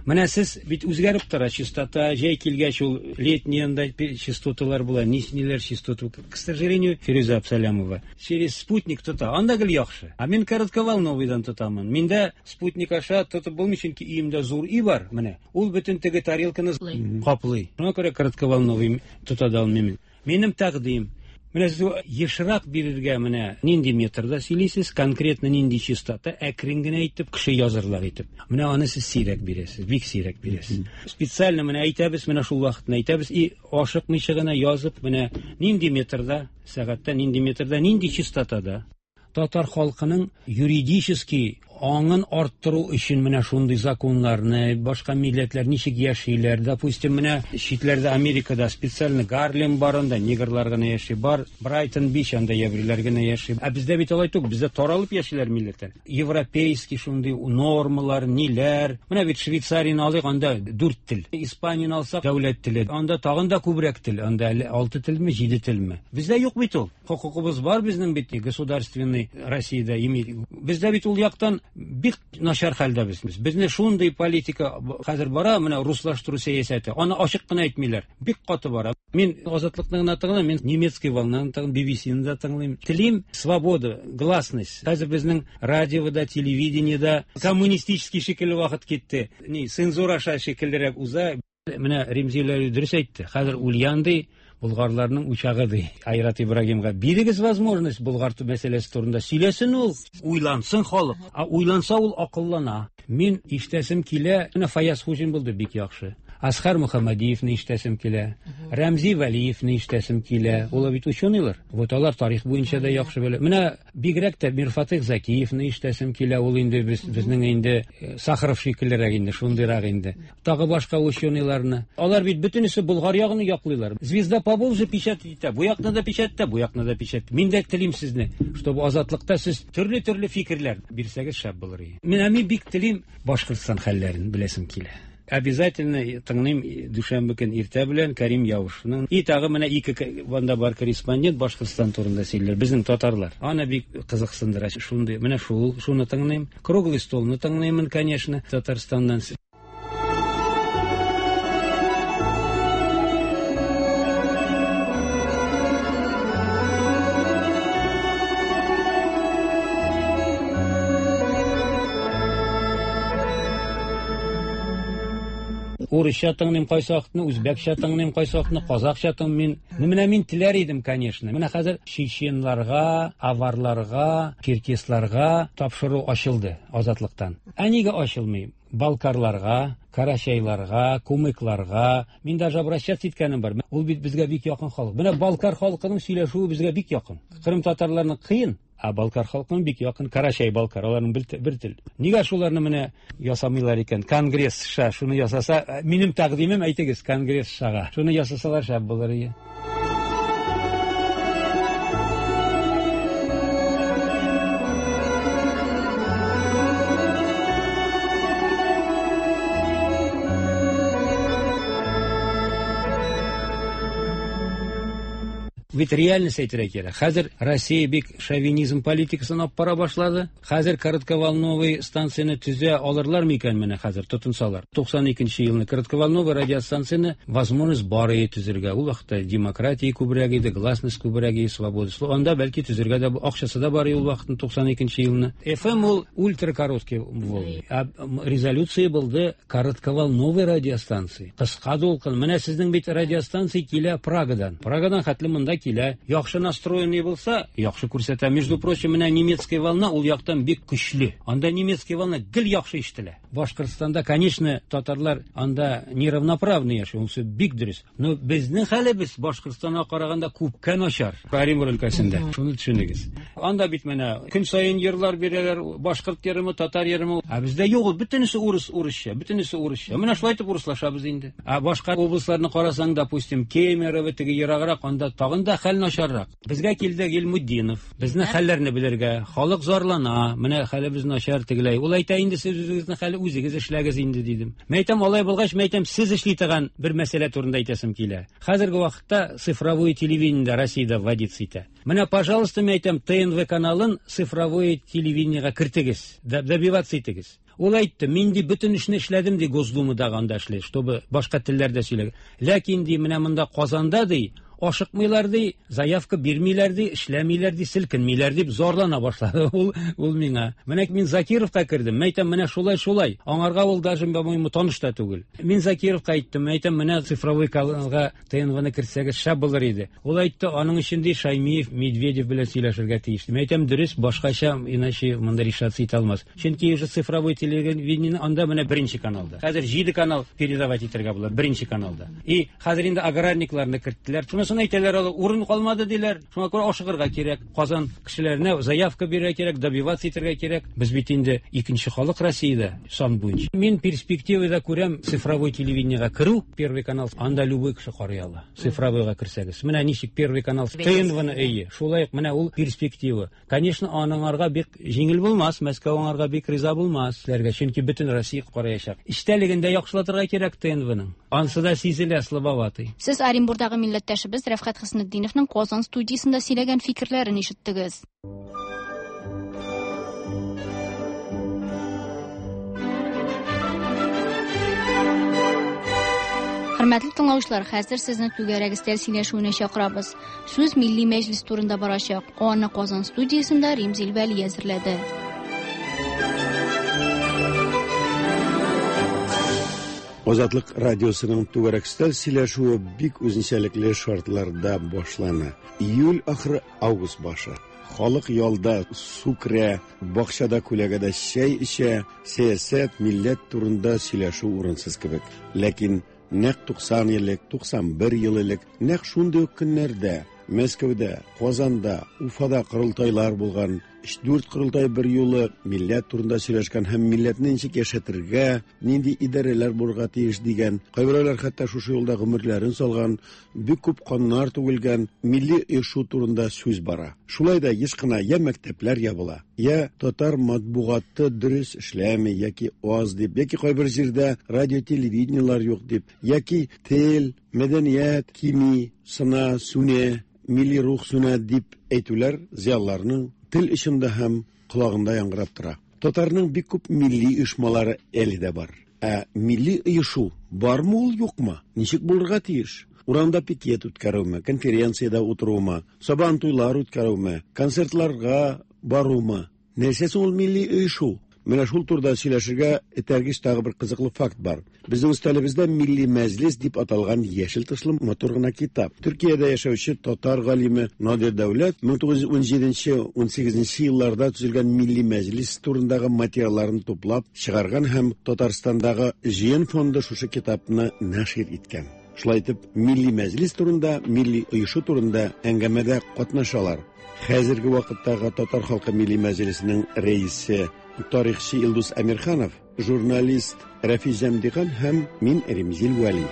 Менә сез бит үзгәреп тора частота, җәй килгәч ул летний анда частоталар була, ниләр частота. К сожалению, Фирүзә Абсалямова через спутник тота. Анда гел яхшы. А мин коротковолновыйдан тотамын. Миндә спутник аша тотып булмый, чөнки өемдә зур өй бар. Менә ул бөтен теге тарелканы каплый. Шуңа күрә коротковолновый тота да алмыйм. Минем тәкъдим. Менә сез ешрак бирергә менә нинди метрда сөйлисез, конкретно нинди частота, әкрен генә итеп, кеше язырлык итеп. Менә аны сез сирәк бирәсез, бик сирәк бирәсез. Специально менә әйтәбез, менә шул вакытны әйтәбез, и ашыкмыйча гына язып, менә нинди метрда, сәгатьтә нинди метрда, нинди частотада. Татар халкының юридически аңын арттыру өчен менә шундый законнарны, башка милләтләр ничек яшиләр. Допустим, менә читләрдә, Америкада специально Гарлем бар, анда негрлар гына яши, бар Брайтон Бич, анда еврейлар гына яши. Ә бездә бит алай түгел, бездә таралып яшиләр милләтләр. Европейский шундый нормалар, ниләр. Менә бит Швейцарияне алыйк, анда 4 тел. Испанияне алсак, дәүләт теле. Анда тагын да күбрәк тел, анда әле 6 телме, 7 телме. Бездә юк бит ул. Хокукыбыз бар безнең бит, государственный Россиядә иметь. Бездә бит ул яктан бик начар хәлдә без. Безне шундый политика хәзер бара, менә руслаштыру сәясәте. Аны ачык кына әйтмиләр. Бик каты бара. Мин Азатлыкны гына тыңлыйм, мин немецкий волнаны тыңлыйм, BBC-ны да тыңлыйм. Телим свобода, гласность. Хәзер безнең радиода, телевидениедә коммунистический шикелле вакыт китте. Ни, цензура аша шикеллерәк уза. Менә Ремзил дөрес әйтте. Хәзер Ульян ди, булгарларның учагы ди. Айрат Ибрагимга бирегез возможность булгар мәсьәләсе турында сөйләсен ул, уйлансын халык. А уйланса ул акыллана. Мин ишетәсем килә, менә Фаяз Хуҗин булды бик яхшы. Асхар Мөхәммәдиевны ишетәсем килә. Рәмзи Вәлиевны ишетәсем килә. Улар бит ученыйлар. Вот алар тарих буенча да яхшы белә. Менә бигрәк тә Мирфатыйх Закиевны ишетәсем килә. Ул инде без, безнең инде Сахаров шикеллерәк инде, шундыйрак инде. Тагы башка ученыйларны. Алар бит бөтенесе Болгар ягын яклыйлар. Звезда Поволжья печать итә. Бу якны да печать итә, бу якны да печать. Мин дә телим сезне, чтобы Азатлыкта сез төрле-төрле фикерләр бирсәгез шәп булыр иде. Менә мин бик телим Башкортстан хәлләрен беләсем килә. Обязательно тыңлыйм дүшәмбе көн иртә белән Карим Яушевның. И тагы менә ике ванда бар корреспондент Башкортстан турында сөйләр. Безнең татарлар. Аны бик кызыксындыра. Шундый, менә шул, шуны тыңлыйм. Круглый столны тыңлыймын, конечно, Татарстаннан. Урысча тыңлыйм кайсы вакытны, үзбәкчә тыңлыйм кайсы вакытны, казакча тыңлыйм. Ну, менә мин теләр идем, конечно. Менә хәзер чеченларга, аварларга, черкесларга тапшыру ачылды Азатлыктан. Ә нигә ачылмый? Балкарларга, карачайларга, кумыкларга. Мин даже обращаться иткәнем бар. Ул бит безгә бик якын халык. Менә балкар халкының сөйләшүе безгә бик якын. Кырым татарларының кыен, ә балкар халкының бик якын. Карачай балкар, аларның бер тел. Нигә шуларны менә ясамыйлар икән? Конгресс ша шуны ясаса, минем тәкъдимем әйтегез конгресс шага. Шуны ясасалар шәп булыр иде. Бит реальность әйтергә кирәк. Хәзер Россия бик шовинизм политикасын алып бара башлады. Хәзер коротковолновый станцияне төзә алырлар микән менә хәзер тотынсалар. 92 елны коротковолновый радиостанцияне возможность бар иде төзергә. Ул вакытта демократия күбрәк иде, гласность күбрәк иде, свобода слова. Анда бәлки төзергә дә акчасы да бар иде ул вакытны 92 елны. FM ул ультракороткий волны. А резолюция булды коротковолновый радиостанции. Кыска дулкын. Менә сезнең бит радиостанция килә Прагадан. Прагадан хәтле монда килә. Яхшы настроенный булса, яхшы күрсәтә. Между прочим, менә немецкая волна ул яктан бик көчле. Анда немецкая волна гел яхшы ишетелә. Башкортстанда, конечно, татарлар анда неравноправный яши, унысы бик дөрес. Но безнең хәлебез Башкортстанга караганда күпкә начар. Оренбург өлкәсендә. Шуны төшенегез. Анда бит менә көн саен йырлар бирәләр, башкорт йырымы, татар йырымы. Ә бездә юк ул, бөтенесе урыс, урысча, бөтенесе урысча. Менә шулай итеп урыслашабыз инде. Ә башка областьларны карасаң, допустим, Кемерово, теге ераграк, анда тагын да хәл начаррак. Безгә килде Гилмутдинов. Безнең хәлләрне белергә. Халык зарлана, менә хәлебез начар тегеләй. Ул әйтә инде, сез үзегезнең хәле үзегез эшләгез инде, дидем. Мин әйтәм, алай булгач, мин әйтәм, сез эшли торган бер мәсьәлә турында әйтәсем килә. Хәзерге вакытта цифровое телевидение Россиядә вводиться итә. Менә, пожалуйста, мин әйтәм, ТНВ каналын цифровое телевидениегә кертегез, добиваться итегез. Ул әйтте, мин ди бөтен эшне эшләдем ди Госдумада анда эшли, чтобы башка телләрдә сөйләгән. Ләкин ди менә монда Казанда ди ашыкмыйлар ди, заявка бирмиләр ди, эшләмиләр ди, селкенмиләр дип зарлана башлады ул миңа. Менә мин Закировка кердем, мен әйтәм, менә шулай шулай. Аңарга ул даже, по-моему, таныш та түгел. Мин Закировка әйттем, мен әйтәм, менә цифровой каналга ТНВны кертсәгез шәп булыр иде. Ул әйтте, аның өчен ди Шаймиев, Медведев белән сөйләшергә тиеш. Мин әйтәм, дөрес, башкача, иначе монда решаться итә алмас. Чөнки уже цифровой телевидение анда менә беренче каналда. Хәзер 7 канал передавать итәргә була беренче каналда. И хәзер инде аграрникларны керттеләр. Шуны Анысын әйтәләр алар, урын калмады диләр. Шуңа күрә ашыгырга кирәк. Казан кешеләренә заявка бирергә кирәк, добиваться итәргә кирәк. Без бит инде икенче халык Россиядә сан буенча. Мин перспективада күрәм цифровой телевидениегә керү, Первый канал, анда любой кеше карый ала. Цифровойга керсәгез. Менә ничек Первый канал ТНВны әйе. Шулай ук менә ул перспектива. Конечно, аныңарга бик җиңел булмас, Мәскәү аңарга бик риза булмас, сезләргә, чөнки бөтен Россия караячак. Эчтәлеген дә яхшылатырга кирәк ТНВның. Ансы да сизелә, слабоватый. Сез Оренбурдагы милләттәшебез Рәфкать Хөснетдиновның Казан студиясендә сөйләгән фикерләрен ишеттегез. Хөрмәтле тыңлаучылар, хәзер сезне түгәрәк өстәл сөйләшүенә чакырабыз. Сүз Милли мәҗлес турында барачак. Аны Казан студиясендә Римзил Вәли әзерләде. Азатлык радиосының түгәрәк өстәл сөйләшүе бик үзенчәлекле шартларда башлана. Июль ахыры, август башы. Халык ялда, су керә, бакчада күләгәдә чәй эчә, сәясәт, милләт турында сөйләшү урынсыз кебек. Ләкин нәкъ 90 ел элек, 91 ел элек, нәкъ шундый ук көннәрдә Мәскәүдә, Казанда, Уфада корылтайлар булган, өч-дүрт корылтай бер юлы милләт турында сөйләшкән һәм милләтне ничек яшәтергә, нинди идарәләр булырга тиеш дигән, кайберәүләр хәтта шушы юлда гомерләрен салган, бик күп каннар түгелгән милли оешу турында сүз бара. Шулай да еш кына я мәктәпләр ябыла, я татар матбугаты дөрес эшләми яки аз дип, яки кайбер җирдә радио-телевидениелар юк дип, яки тел, мәдәният кими, сына, сүнә, милли рух сүнә дип әйтүләр зыялыларның тел очында һәм колагында яңгырап тора. Татарның бик күп милли оешмалары әле дә бар. Ә милли оешу бармы ул, юкмы? Ничек булырга тиеш? Урамда пикет үткәрүме, конференциядә утырумы, сабан туйлар үткәрүме, концертларга барумы? Нәрсә соң ул милли оешу? Менә шул турыда сөйләшергә этәргеч тагы бер кызыклы факт бар. Безнең өстәлебездә Милли мәҗлес дип аталган яшел тышлы матур гына китап. Төркиядә яшәүче татар галиме Надир Дәүләт 1917-18 елларда төзелгән Милли мәҗлес турындагы материалларын туплап чыгарган һәм Татарстандагы Җыен фонды шушы китапны нәшир иткән. Шулай итеп, Милли мәҗлес турында, милли оешу турында әңгәмәдә катнашалар. Хәзерге вакыттагы Татар халкы Милли мәҗлесенең рәисе, тарихчы Илдус Әмирханов, журналист Рәфис Җәмдихан һәм мин Римзил Вәли.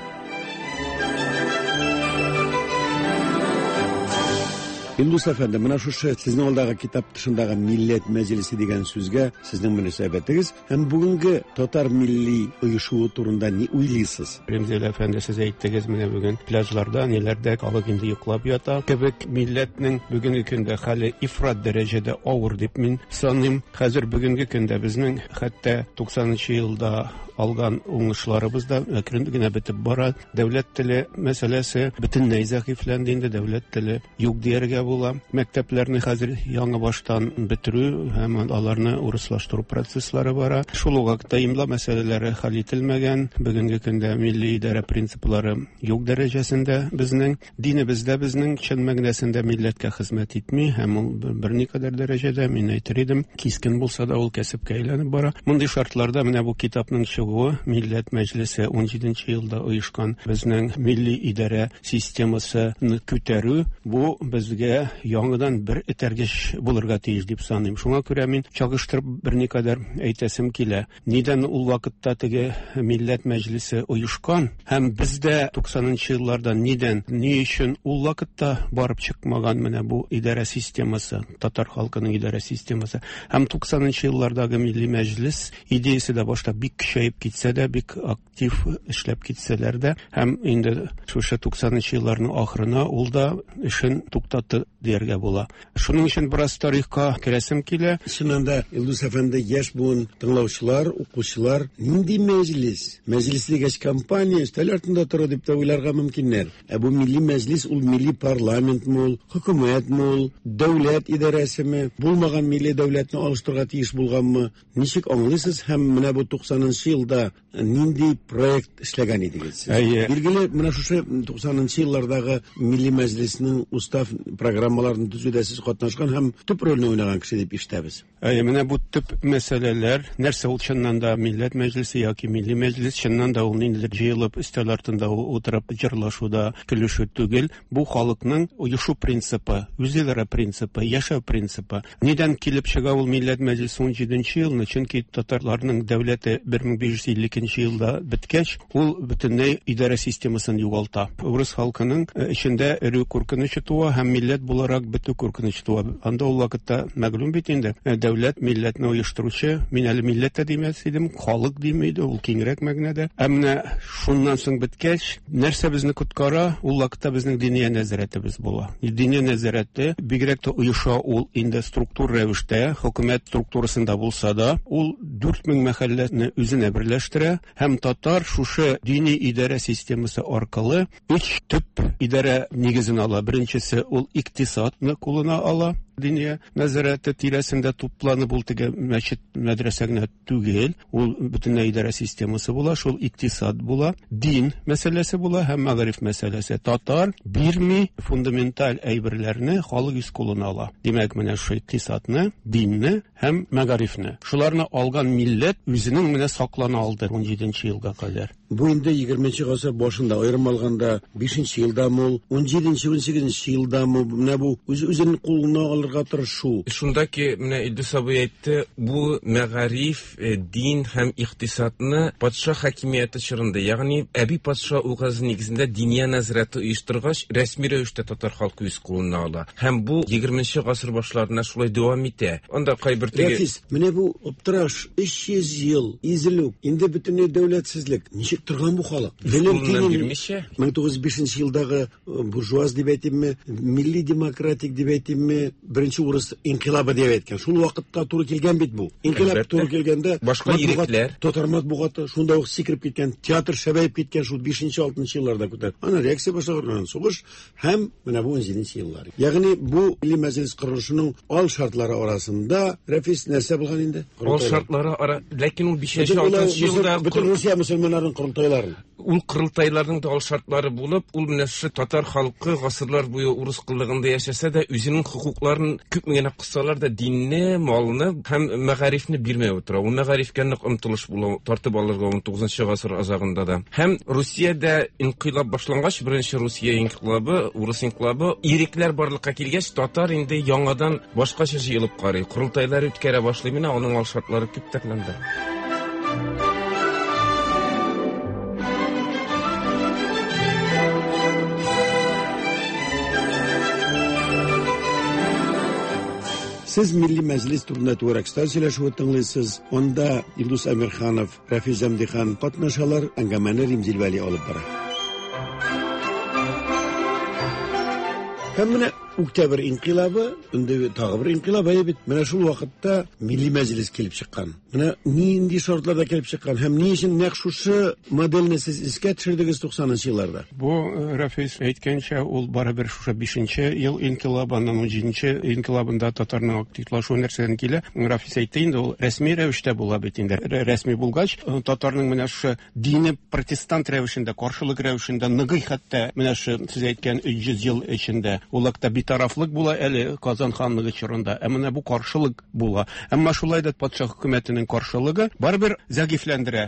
Илдус әфәнде, менә шушы сезнең алдагы китап тышындагы Милләт мәҗлесе дигән сүзгә сезнең мөнәсәбәтегез һәм бүгенге татар милли оешуы турында ни уйлыйсыз? Римзил әфәнде, сез әйттегез, менә бүген пляжларда, ниләрдә халык инде йоклап ята кебек. Милләтнең бүгенге көндә хәле ифрат дәрәҗәдә авыр дип мин саныйм. Хәзер бүгенге көндә безнең хәтта туксанынчы елда алган уңышларыбыз да әкрен генә бетеп бара. Дәүләт теле мәсьәләсе бөтенләй зәгыйфьләнде инде, дәүләт теле юк дияргә була. Мәктәпләрне хәзер яңа баштан бетерү һәм аларны урыслаштыру процесслары бара. Шул ук вакытта имла мәсьәләләре хәл ителмәгән. Бүгенге көндә милли идарә принциплары юк дәрәҗәсендә безнең. Динебез дә безнең чын мәгънәсендә милләткә хезмәт итми һәм ул берникадәр дәрәҗәдә, мин әйтер идем, кискен булса да ул кәсепкә әйләнеп бара. Мондый шартларда менә бу китапның чыгуы, Милләт мәҗлесе унҗиденче елда оешкан безнең милли идарә системасын күтәрү, бу безгә яңадан бер этәргеч булырга тиеш дип саныйм. Шуңа күрә мин чагыштырып берникадәр әйтәсем килә. Нидән ул вакытта теге Милләт мәҗлесе оешкан һәм бездә туксанынчы елларда нидән, ни өчен ул вакытта барып чыкмаган менә бу идарә системасы, татар халкының идарә системасы һәм туксанынчы еллардагы Милли мәҗлес идеясе дә башта бик көчәеп китсә дә, бик актив эшләп китсәләр дә, һәм инде шушы туксанынчы елларның ахырына ул да эшен туктатты дияргә була. Шуның өчен бераз тарихка керәсем килә. Чыннан да, Илдус әфәнде, яшь буын тыңлаучылар, укучылар, нинди мәҗлес? Мәҗлес дигәч, компания өстәл артында тора дип тә уйларга мөмкиннәр. Ә бу милли мәҗлес ул милли парламентмы ул, хөкүмәтме ул, дәүләт идарәсеме, булмаган милли дәүләтне алыштырырга тиеш булганмы? Ничек аңлыйсыз һәм менә бу туксанынчы елда нинди проект эшләгән идегез сез? Әйе. Билгеле, менә шушы туксанынчы еллардагы Милли Мәҗлеснең устав программасы программаларын төзүдә сез катнашкан һәм төп рольне уйнаган кеше дип ишетәбез. Әйе, менә бу төп мәсьәләләр, нәрсә ул чыннан да милләт мәҗлесе яки милли мәҗлес, чыннан да ул ниндидер җыелып өстәл артында утырып җырлашу да, көлешү түгел. Бу халыкның оешу принципы, үзидарә принципы, яшәү принципы. Нидән килеп чыга ул милләт мәҗлесе 17 елны? Чөнки татарларның дәүләте 1552 елда беткәч, ул бөтенләй идарә системасын югалта. Урыс халкының эчендә эрү куркынычы туа һәм милләт буларак бетү куркынычы туа. Анда ул вакытта мәгълүм бит инде, дәүләт милләтне оештыручы, мин әле милләт тә димәс идем, халык дим иде, ул киңрәк мәгънәдә. Ә менә шуннан соң беткәч, нәрсә безне коткара? Ул вакытта безнең диния нәзарәтебез була. Диния нәзарәте бигрәк тә оеша ул инде структур рәвештә, хөкүмәт структурасында булса да, ул 4000 мәхәлләне үзенә берләштерә һәм татар шушы дини идарә системасы аркылы өч төп идарә нигезен ала. Беренчесе ул икътисадны кулына ала. Диния нәзарәте тирәсендә тупланып ул теге мәчет, мәдрәсә генә түгел, ул бөтенләй идарә системасы була, шул икътисад була, дин мәсьәләсе була һәм мәгариф мәсьәләсе. Татар бирми фундаменталь әйберләрне халык үз кулына ала. Димәк, менә шул икътисадны, динне һәм мәгарифне. Шуларны алган милләт үзенең менә саклана алды 17 елга кадәр. Бу инде 20 гасыр башында, аерым алганда 5 елдамы ул, 17-18 елдамы, менә бу үз үзен кулына алырга тырышу. Шунда ки, менә Илдус абый әйтте, бу мәгариф, дин һәм икътисадны патша хакимияте чорында, ягъни әби патша указы нигезендә диния нәзарәте оештыргач, рәсми рәвештә татар халкы үз кулына ала. Һәм бу 20 гасыр башларына шулай дәвам итә. Анда кайбер теге Рәфис, менә бу аптыраш, 300 ел изелү, инде бөтенләй дәүләтсезлек. Ничек торган бу халык? Кулыннан бирмичә? 1905 елдагы буржуаз дип әйтимме, милли демократик дип әйтимме, беренче урыс инкыйлабы дип әйткән. Шул вакытка туры килгән бит бу. Инкыйлаб туры килгәндә башка ирекләр, татар матбугаты шунда ук сикереп киткән, театр шәбәеп киткән шул 5-6 елларда күтәр. Ана реакция башлаган, сугыш һәм менә бу 17 еллар. Ягъни бу милли мәҗлес корылышының ал шартлары арасында Рәфис нәрсә булган инде? Ал шартлары ара, ләкин ул 5-6 елда бөтен Русия мөселманнарының корылтайларын. Ул корылтайларның да ал шартлары булып, ул менә шушы татар халкы гасырлар буе урыс коллыгында яшәсә дә, үзенең хокукларын күпме генә кыссалар да, динне, малны һәм мәгарифне бирмәй утыра. Ул мәгарифкә нык омтылыш була, тартып алырга 19 гасыр азагында да. Һәм Русиядә инкыйлаб башлангач, беренче Русия инкыйлабы, урыс инкыйлабы, ирекләр барлыкка килгәч, татар инде яңадан башкача җыелып карый, корылтайлар үткәрә башлый. Менә аның ал шартлары күп төрләнде. Сез Милли Мәҗлес турында түгәрәк өстәл сөйләшүе тыңлыйсыз. Анда Илдус Әмирханов, Рафис Җәмдихан катнашалар, әңгәмәне Римзил Вәли алып бара. Һәм менә Октябрь инкыйлабы, инде тагы бер инкыйлаб әйе бит. Менә шул вакытта Милли Мәҗлес килеп чыккан. Менә нинди шартларда килеп чыккан һәм ни өчен нәкъ шушы модельне сез искә төшердегез 90 елларда? Бу Рафис әйткәнчә, ул барыбер шушы 5 ел инкыйлабы, аннан 17 инкыйлабында татарның активлашуы нәрсәдән килә? Рафис әйтте инде, ул рәсми рәвештә була бит инде. Рәсми булгач, татарның менә шушы дине протестант рәвешендә, каршылык рәвешендә ныгый хәтта менә шушы сез әйткән 300 ел эчендә. Ул вакытта битарафлык була әле Казан ханлыгы чорында. Ә менә бу каршылык була. Әмма шулай да патша хөкүмәтенең каршылыгы барыбер зәгыйфьләндерә,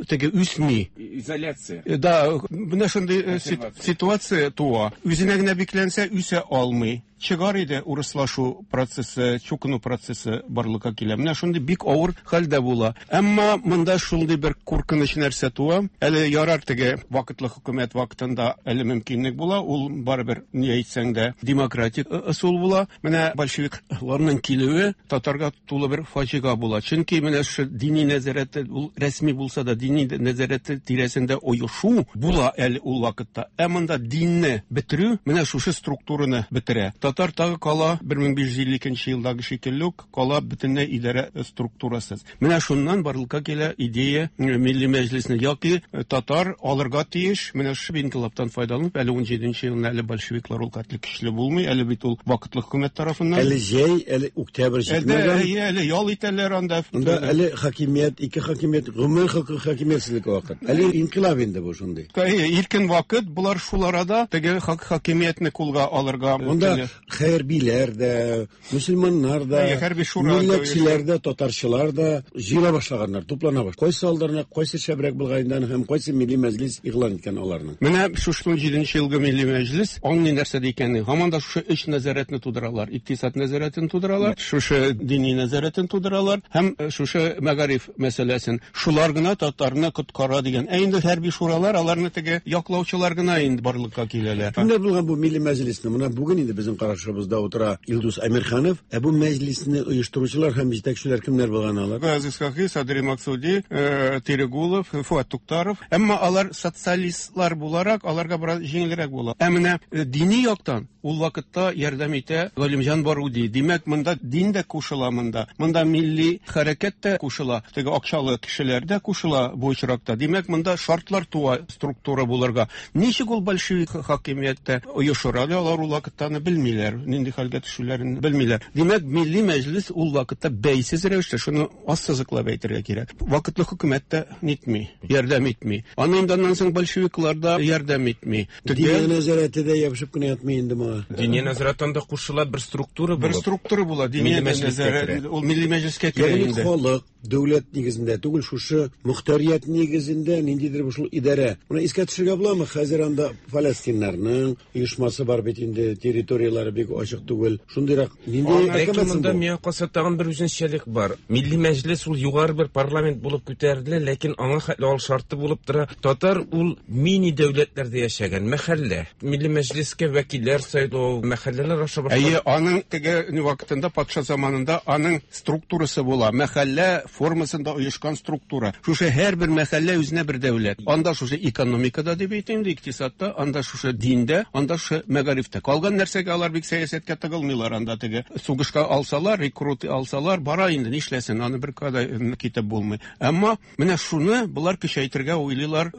теге үсми. Изоляция. Да, менә шундый ситуация туа. Үзенә генә бикләнсә, үсә алмый. Чыгар иде урыслашу процессы, чукыну процессы барлыкка килә. Менә шундый бик авыр хәлдә була. Әмма монда шундый бер куркыныч нәрсә туа. Әле ярар теге вакытлы хөкүмәт вакытында әле мөмкинлек була. Ул барыбер, ни әйтсәң дә, демократик ысул була. Менә большевикларның килүе татарга тулы бер фаҗига була. Чөнки менә шушы дини нәзарәте, ул рәсми булса да, дини нәзарәте тирәсендә оешу була әле ул вакытта. Ә монда динне бетерү менә шушы структураны бетерә. Татар тагы кала 1552 елдагы шикелле үк кала бөтенләй идарә структурасыз. Менә шуннан барлыкка килә идея Милли Мәҗлесне яки татар алырга тиеш. Менә шушы инкыйлабтан файдаланып, әле 17 елны әле большевиклар ул хәтле көчле булмый, әле бит ул вакытлы хөкүмәт тарафыннан. Әле җәй, әле октябрь җитмәгән. Әле, әле ял итәләр анда. Анда әле хакимият, ике хакимият, гомумән хакимиятсезлек вакыт. Әле инкыйлаб инде бу шундый. Иркен вакыт, булар шул арада теге хакимиятне кулга алырга. Монда Хәрбиләр дә, мөселманнар да, милләтчеләр дә, татарчылар да җыела башлаганнар, туплана башлаган. Кайсы алдарына кайсы шәбрәк булган инде һәм кайсы милли мәҗлес игълан иткән аларны? Менә шушы 17 елгы милли мәҗлес аңлый нәрсә икәнен. Һаман да шушы өч нәзарәтне тудыралар. Икътисад нәзарәтен тудыралар, шушы дини нәзарәтен тудыралар һәм шушы мәгариф мәсьәләсен. Шулар гына татарны коткара дигән. Ә инде хәрби шуралар аларны теге яклаучылар гына инде барлыкка киләләр. Кемнәр булган бу милли мәҗлесне? Менә бүген инде безнең карашыбызда утыра Илдус Әмирханов. Ә бу мәҗлесне оештыручылар һәм җитәкчеләр кемнәр булган алар? Газиз Хакы, Садри Максуди, Терегулов, Фуат Туктаров. Әмма алар социалистлар буларак, аларга бераз җиңелрәк була. Ә менә дини яктан ул вакытта ярдәм итә Галимҗан Баруди. Димәк, монда дин дә кушыла монда. Монда милли хәрәкәт тә кушыла. Теге акчалы кешеләр дә кушыла бу очракта. Димәк, монда шартлар туа структура булырга. Ничек ул большевик хакимияттә оешыр? Әле алар ул вакытта аны белмиләр, нинди хәлгә төшүләрен белмиләр. Димәк, милли мәҗлес ул вакытта бәйсез рәвештә, шуны ассызыклап әйтергә кирәк. Вакытлы хөкүмәт тә нитми, ярдәм итми. Аны инде аннан соң большевиклар да ярдәм итми. Диния нәзарәте дә ябышып кенә ятмый инде моңа. Диния нәзарәте анда кушыла бер структура булып. Бер структура була. Диния нәзарәте ул милли мәҗлескә керә инде. Ягъни халык дәүләт нигезендә түгел, шушы мөхтәрият нигезендә ниндидер бу шул идарә. Моны искә төшерергә буламы? Хәзер анда фаләстиннарның оешмасы бар бит инде, территорияләре бик ачык түгел. Шундыйрак нинди Ләкин монда миңа калса тагын бер үзенчәлек бар. Милли мәҗлес ул югары бер парламент булып күтәрелә, ләкин аңа хәтле ал шарты булып тора. Татар ул мини дәүләтләрдә яшәгән мәхәллә. Милли мәҗлескә вәкилләр сайлау, мәхәлләләр аша башка. Әйе, аның теге вакытында патша заманында аның структурасы була. Мәхәллә формасында оешкан структура. Шушы һәрбер мәхәллә үзенә бер дәүләт. Анда шушы экономикада дип әйтим инде, икътисадта, анда шушы диндә, анда шушы мәгарифтә. Калган нәрсәгә алар бик сәясәткә тыгылмыйлар анда теге. Сугышка алсалар, рекрут алсалар, бара инде, нишләсен, аны бер када китеп булмый. Әмма менә шуны болар көчәйтергә уйлыйлар.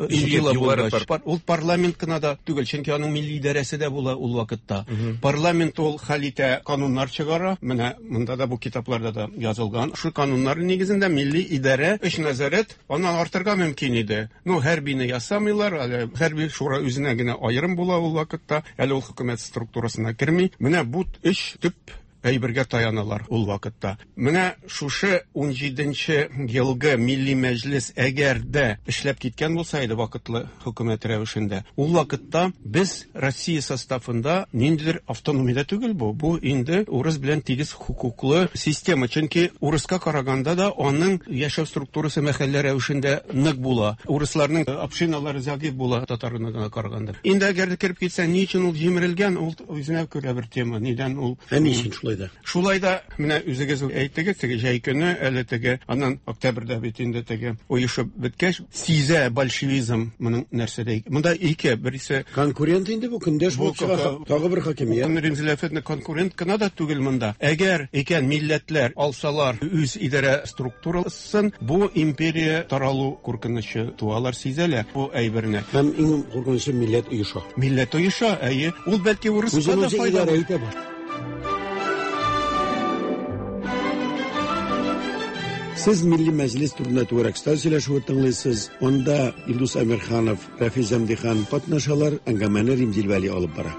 Ул парламент кына да түгел, чөнки аның милли идарәсе дә була ул вакытта. Парламент ул хәл итә, кануннар чыгара. Менә монда да бу китапларда да язылган. Шул кануннар нигезендә милли идарә өч нәзарәт аннан артырга мөмкин иде. Ну, хәрбине ясамыйлар, әле хәрби шура үзенә генә аерым була ул вакытта, әле ул хөкүмәт структурасына керми. Менә бу өч төп әйбергә таяналар ул вакытта. Менә шушы 17-нче елгы милли мәҗлес әгәр дә эшләп киткән булса иде вакытлы хөкүмәт рәвешендә, ул вакытта без Россия составында ниндидер автономия түгел бу. Бу инде урыс белән тигез хокуклы система. Чөнки урыска караганда да аның яшәү структурасы мәхәллә рәвешендә нык була. Урысларның общиналары зәгыйфь була татарына караганда. Инде әгәр дә кереп китсә, ни өчен ул җимерелгән, ул үзенә күрә бер тема. Нидән ул? Ә ни өчен шулай да? Шулай да менә үзегез әйттегез, теге җәй көне әле теге, аннан октябрьдә бит инде теге оешып беткәч, сизә большевизм моның нәрсәдә. Монда ике, берсе конкурент инде бу, көндәш булып чыга, тагы бер хакимият. Римзил әфәнде, конкурент кына да түгел монда. Әгәр икән милләтләр алсалар үз идарә структурасын, бу империя таралу куркынычы туалар, сизәләр бу әйберне. Һәм иң куркынычы милләт оеша. Милләт оеша, әйе. Ул бәлки урыска да файда итә бу. Сез Милли Мәҗлес турында түгәрәк өстәл сөйләшүе тыңлыйсыз. Анда Илдус Әмирханов, Рәфис Зәмдихан катнашалар, әңгәмәне Римзил Вәли алып бара.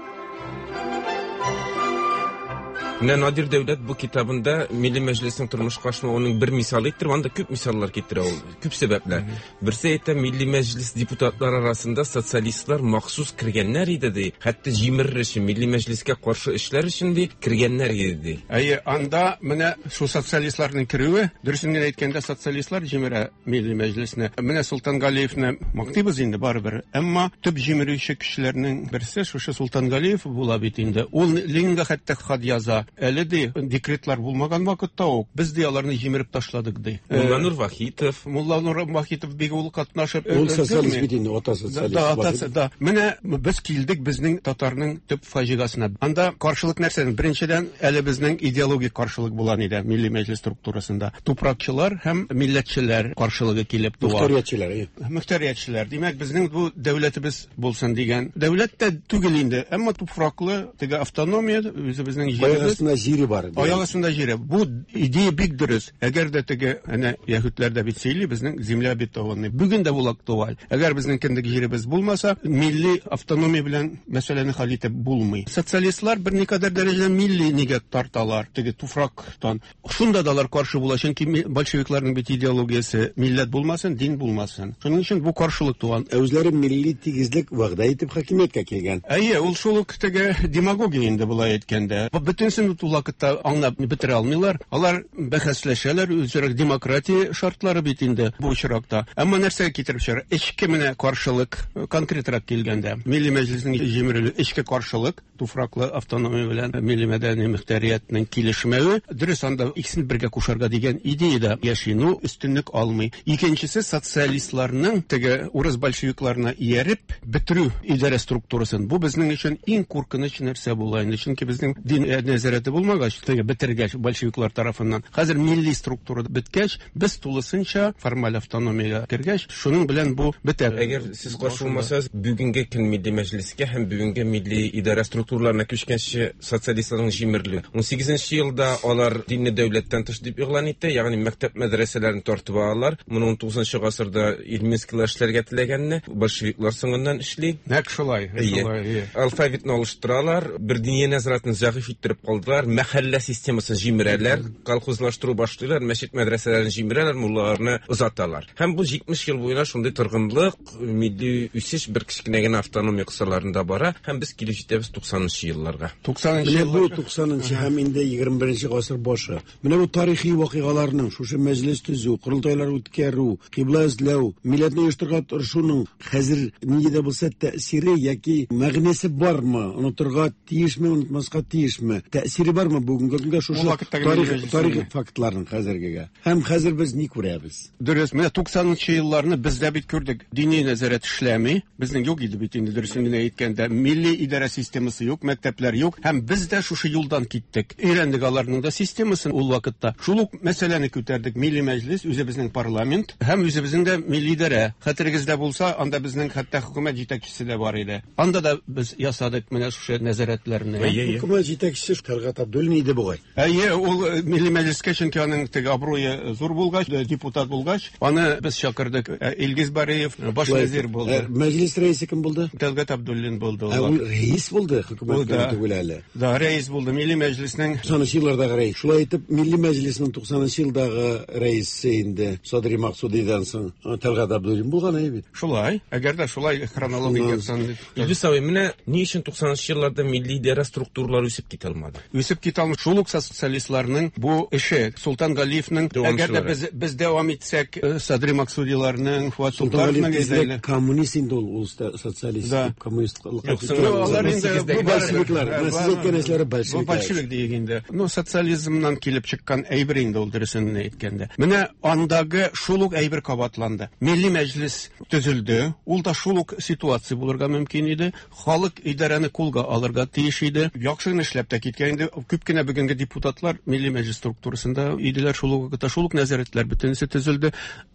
Менә Надир Дәүләт бу китабында Милли Мәҗлеснең тормышка ашмавының бер мисалы иттереп, анда күп мисаллар китерә ул, күп сәбәпләр. Берсе әйтә, Милли Мәҗлес депутатлары арасында социалистлар махсус кергәннәр иде, ди. Хәтта җимерер өчен, Милли Мәҗлескә каршы эшләр өчен, ди, кергәннәр иде, ди. Әйе, анда менә шул социалистларның керүе, дөресен генә әйткәндә, социалистлар җимерә Милли Мәҗлесне. Менә Солтангалиевне мактыйбыз инде барыбер. Әмма төп җимерүче кешеләрнең берсе шушы Солтангалиев була бит инде. Ул Ленинга хәтта хат яза. Әле ди, декретлар булмаган вакытта ук без ди аларны җимереп ташладык ди. Мулланур Вахитов. Мулланур Вахитов бик ул катнашып. Ул социалист бит инде, ата социалист. Да, атасы, да. Менә без килдек безнең татарның төп фаҗигасына. Анда каршылык нәрсәдән? Беренчедән, әле безнең идеологик каршылык була иде Милли Мәҗлес структурасында. Тупракчылар һәм милләтчеләр каршылыгы килеп туа. Мөхтәриятчеләр, әйе. Мөхтәриятчеләр. Димәк, безнең бу дәүләтебез булсын дигән. Дәүләт тә түгел инде, әмма туфраклы теге автономия, үзебезнең җиребез. астында җире бар. Аяк астында җире. Бу идея бик дөрес. Әгәр дә теге әнә яһүдләр дә бит сөйли, безнең земля обетованная. Бүген дә ул актуаль. Әгәр безнең кендек җиребез булмаса, милли автономия белән мәсьәләне хәл итеп булмый. Социалистлар берникадәр дәрәҗәдә милли нигә тарталар, теге туфрактан. Шунда да алар каршы була, чөнки большевикларның бит идеологиясе милләт булмасын, дин булмасын. Шуның өчен бу каршылык туган. Ә үзләре милли тигезлек вәгъдә итеп хакимияткә килгән. Әйе, ул шул ук теге демагогия инде болай әйткәндә. Бу бөтенесен ул вакытта аңлап бетерә алмыйлар. Алар бәхәсләшәләр, үзара демократия шартлары бит инде бу очракта. Әмма нәрсәгә китереп чыгара? Эчке менә каршылык, конкретрак килгәндә, Милли Мәҗлеснең җимерелү, эчке каршылык, туфраклы автономия белән милли мәдәни мөхтәриятнең килешмәве, дөрес, анда икесен бергә кушарга дигән идея дә яши, ну, өстенлек алмый. Икенчесе, социалистларның теге урыс большевикларына ияреп бетерү идарә структурасын. Бу безнең өчен иң куркыныч нәрсә була инде, чөнки безнең дин нәзарәте булмагач, теге бетергәч большевиклар тарафыннан, хәзер милли структура беткәч, без тулысынча формаль автономиягә кергәч, шуның белән бу бетә. Әгәр сез каршы булмасагыз, бүгенге көн Милли Мәҗлескә һәм бүгенге милли идарә структураларына күчкәнче социалистларның җимерелү. Унсигезенче елда алар динне дәүләттән тыш дип игълан итә, ягъни мәктәп мәдрәсәләрен тартып алалар. Моны унтугызынчы гасырда Ильминскийлар эшләргә теләгәнне большевиклар соңыннан эшли. Нәкъ шулай, шулай, әйе. Алфавитны алыштыралар, бер диния нәзарәтен зәгыйфь иттереп калдылар, мәхәллә системасын җимерәләр, колхозлаштыру башлыйлар, мәчет мәдрәсәләрен җимерәләр, муллаларны озаталар. Һәм бу 70 ел буена шундый торгынлык, милли үсеш бер кечкенә генә автономия кысаларында бара, һәм без килеп җитәбез 90 елларга. 90 Менә бу 90 һәм инде 21 гасыр башы. Менә бу тарихи вакыйгаларның, шушы мәҗлес төзү, корылтайлар үткәрү, кыйбла эзләү, милләтне оештырырга тырышуның хәзер нинди дә булса тәэсире яки мәгънәсе бармы? Онытырга тиешме, онытмаска тиешме? Тәэсире бармы бүгенге көнгә шушы тарих, тарих фактларының хәзергегә? Һәм хәзер без ни күрәбез? Дөрес, менә 90 елларны без дә бит күрдек. Дини нәзарәт эшләми. Безнең юк иде бит инде, дөресен генә әйткәндә. Милли идарә системасы юк, мәктәпләр юк. Һәм без дә шушы юлдан киттек. Өйрәндек аларның да системасын ул вакытта. Шул ук мәсьәләне күтәрдек. Милли мәҗлес, үзебезнең парламент һәм үзебезнең дә милли идарә. Хәтерегездә булса, анда безнең хәтта хөкүмәт җитәкчесе дә бар иде. Анда да без ясадык менә шушы нәзарәтләрне. Хөкүмәт җитәкчесе Тәлгать Абдуллин иде бугай. Әйе, ул э, Милли Мәҗлескә, чөнки аның теге абруе э, зур булгач, э, депутат булгач, аны без чакырдык. Илгиз Бариев баш вәзир булды. Мәҗлес рәисе кем булды? Тәлгать Абдуллин булды. Ә ул рәис булды, хөкүмәт кенә түгел әле. Да, рәис булды. Милли Мәҗлеснең 90 еллардагы рәис. Шулай итеп, Милли Мәҗлеснең 90 елдагы рәисе инде Садри Максудидан соң Тәлгать Абдуллин булган әйе бит. Шулай. Әгәр дә шулай хронологик яктан. Илдус абый, менә ни өчен 90 елларда милли идарә структуралары үсеп китә алмады? Үсеп китә алмый. Шул ук социалистларның бу эше, Солтан Галиевның, әгәр дә без без дәвам итсәк, э, Садри Максудиларның, Фуат Солтановның әйдәле. Коммунист инде ул, ул социалист, да. коммунист. Алар инде бу большевиклар. Менә сез әйткән нәрсәләр большевиклар. Бу большевик диек инде. Ну, социализмнан килеп чыккан әйбер инде ул дөресен әйткәндә. Менә андагы шул ук әйбер кабатланды. Милли мәҗлес төзелде. Ул да шул ук ситуация булырга мөмкин иде. Халык идарәне кулга алырга тиеш иде. Яхшы гына эшләп тә киткән инде. Күп кенә бүгенге депутатлар Милли Мәҗлес структурасында иделәр шул ук вакытта, шул ук нәзарәтләр бөтенесе төзелде.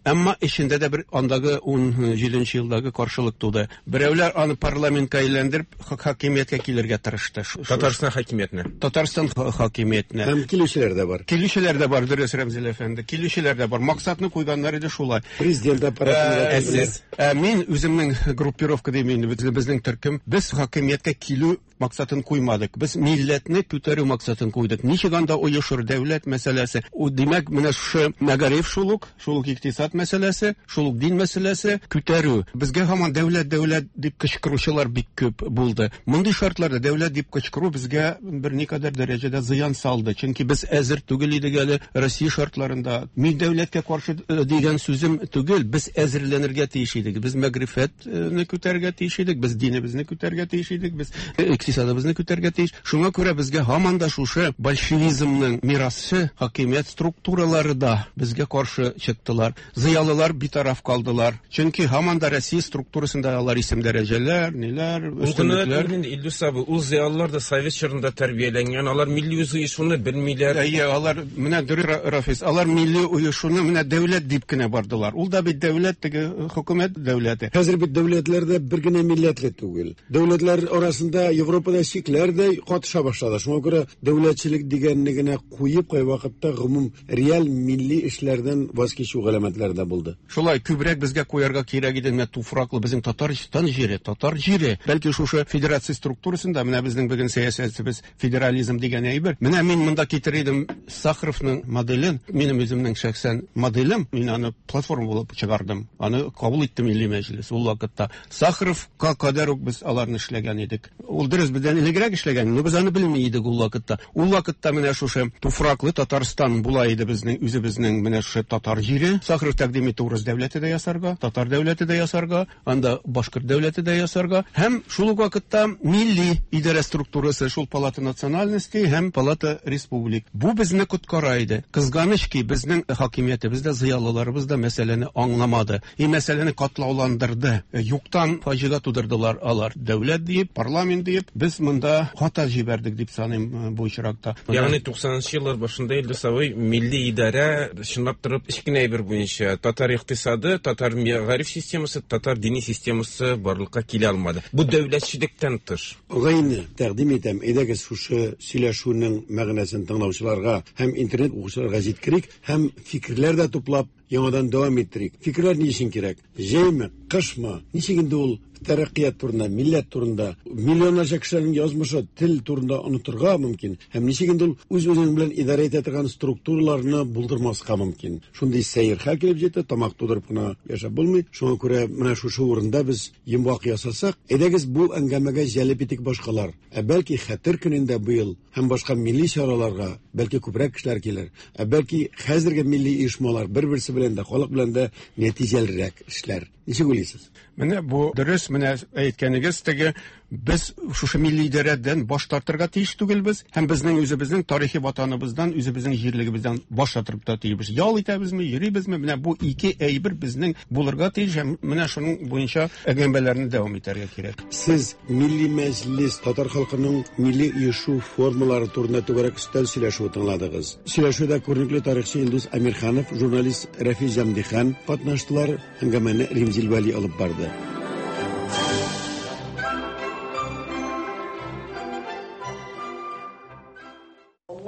Әмма эчендә дә бер андагы 17 елдагы каршылык туды. Берәүләр аны парламентка әйләндереп, хакимияткә килергә тырышты. Татарстан хакимиятенә. Татарстан хакимиятенә. Һәм килүчеләр дә бар. Килүчеләр дә бар, дөрес, Рәмзил әфәнде. Килүчеләр дә бар. Максатны куйганнар иде шулай. Президент аппаратында Ә, сез? Ә мин үземнең группировка дим инде, безнең төркем, без хакимияткә килү максатын куймадык. Без милләтне күтәрү максатын куйдык. Ничек анда оешыр дәүләт мәсьәләсе? Димәк, менә шушы мәгариф шул ук, шул ук икътисад мәсьәләсе, шул ук дин мәсьәләсе күтәрү. Безгә һаман дәүләт, дәүләт дип кычкыручылар бик күп булды. Мондый шартларда дәүләт дип кычкыру безгә берникадәр дәрәҗәдә зыян салды. Чөнки без әзер түгел идек әле Россия шартларында. Мин дәүләткә каршы э, дигән сүзем түгел, без әзерләнергә тиеш идек. Без мәгърифәтне күтәрергә тиеш идек, без динебезне күтәрергә тиеш идек, без э, икътисадыбызны күтәрергә тиеш. Шуңа күрә безгә һаман да шушы большевизмның мирасы, хакимият структуралары да безгә каршы чыктылар. Зыялылар битараф калдылар. Чөнки һаман да Россия структурасында алар исем дәрәҗәләр, ниләр, өстенлекләр. Ул Илдус абый, ул зыялылар да совет чорында тәрбияләнгән, алар милли үзоешуны белмиләр. Әйе, алар менә дөрес, Рафис, алар милли оешуны менә дәүләт дип кенә бардылар. Ул да бит дәүләт, теге хөкүмәт дәүләте. Хәзер бит дәүләтләр дә бер генә милләтле түгел. Дәүләтләр арасында Европа Европада чикләр дә катыша башлады. Шуңа күрә дәүләтчелек дигәнне генә куеп кайвакытта гомум реаль милли эшләрдән ваз кичү галәмәтләре дә булды. Шулай күбрәк безгә куярга кирәк иде менә туфраклы безнең Татарстан җире, татар җире. Бәлки шушы федерация структурасында менә безнең бүген сәясәтебез федерализм дигән әйбер. Менә мин монда китерер идем Сахаровның моделен, минем үземнең шәхсән моделем, мин аны платформа булып чыгардым. Аны кабул итте Милли Мәҗлес ул вакытта. Сахаровка кадәр үк без аларны эшләгән идек. Ул дөрес бездән элегрәк эшләгән, но без аны белми идек ул вакытта. Ул вакытта менә шушы туфраклы Татарстан була иде безнең үзебезнең менә шушы татар җире. Сахаров тәкъдим итте урыс дәүләте дә ясарга, татар дәүләте дә ясарга, анда башкорт дәүләте дә ясарга һәм шул ук вакытта милли идарә структурасы, шул палата национальностей һәм палата республик. Бу безне коткара иде. Кызганыч ки, безнең хакимиятебез дә, зыялыларыбыз да мәсьәләне аңламады. И мәсьәләне катлауландырды. Юктан фаҗига тудырдылар алар. Дәүләт диеп, парламент диеп, без монда хата җибәрдек дип саныйм бу очракта. Ягъни 90 еллар башында Илдус абый милли идарә чынлап торып өч кенә әйбер буенча татар икътисады, татар мәгариф системасы, татар дини системасы барлыкка килә алмады. Бу дәүләтчелектән тыш. Агайны тәкъдим итәм, әйдәгез шушы сөйләшүнең мәгънәсен тыңлаучыларга һәм интернет укучыларга җиткерик һәм фикерләр дә туплап, яңадан дәвам иттерик. Фикерләр ни өчен кирәк? Җәйме, кышмы? Ничек инде ул тәрәккыят турында, милләт турында, миллионнарча кешеләрнең язмышы, тел турында онытырга мөмкин? Һәм ничек инде ул үз-үзең белән идарә итә торган структураларны булдырмаска мөмкин? Шундый сәер хәл килеп җитте, тамак тудырып кына яшәп булмый. Шуңа күрә менә шушы урында без йомгак ясасак, әйдәгез бу әңгәмәгә җәлеп итик башкалар. Ә бәлки Хәтер көнендә быел һәм башка милли чараларга бәлки күбрәк кешеләр килер. Ә бәлки хәзерге милли оешмалар бер-берсе белән дә, халык белән дә нәтиҗәлерәк эшләр. Ничек уйлыйсыз? Менә бу дөрес, менә әйткәнегез теге без шушы милли идарәдән баш тартырга тиеш түгелбез һәм безнең үзебезнең тарихи ватаныбыздан, үзебезнең җирлегебездән баш тартырга та тиешбез. Ял итәбезме, йөрибезме? Менә бу ике әйбер безнең булырга тиеш һәм менә шуның буенча әңгәмәләрне дәвам итәргә кирәк. Сез Милли Мәҗлес, татар халкының милли оешу формалары турында түгәрәк өстәл сөйләшүе тыңладыгыз. Сөйләшүдә күренекле тарихчы Илдус Әмирханов, журналист Рәфис Җәмдихан катнаштылар. Әңгәмәне Римзил Вәли алып барды.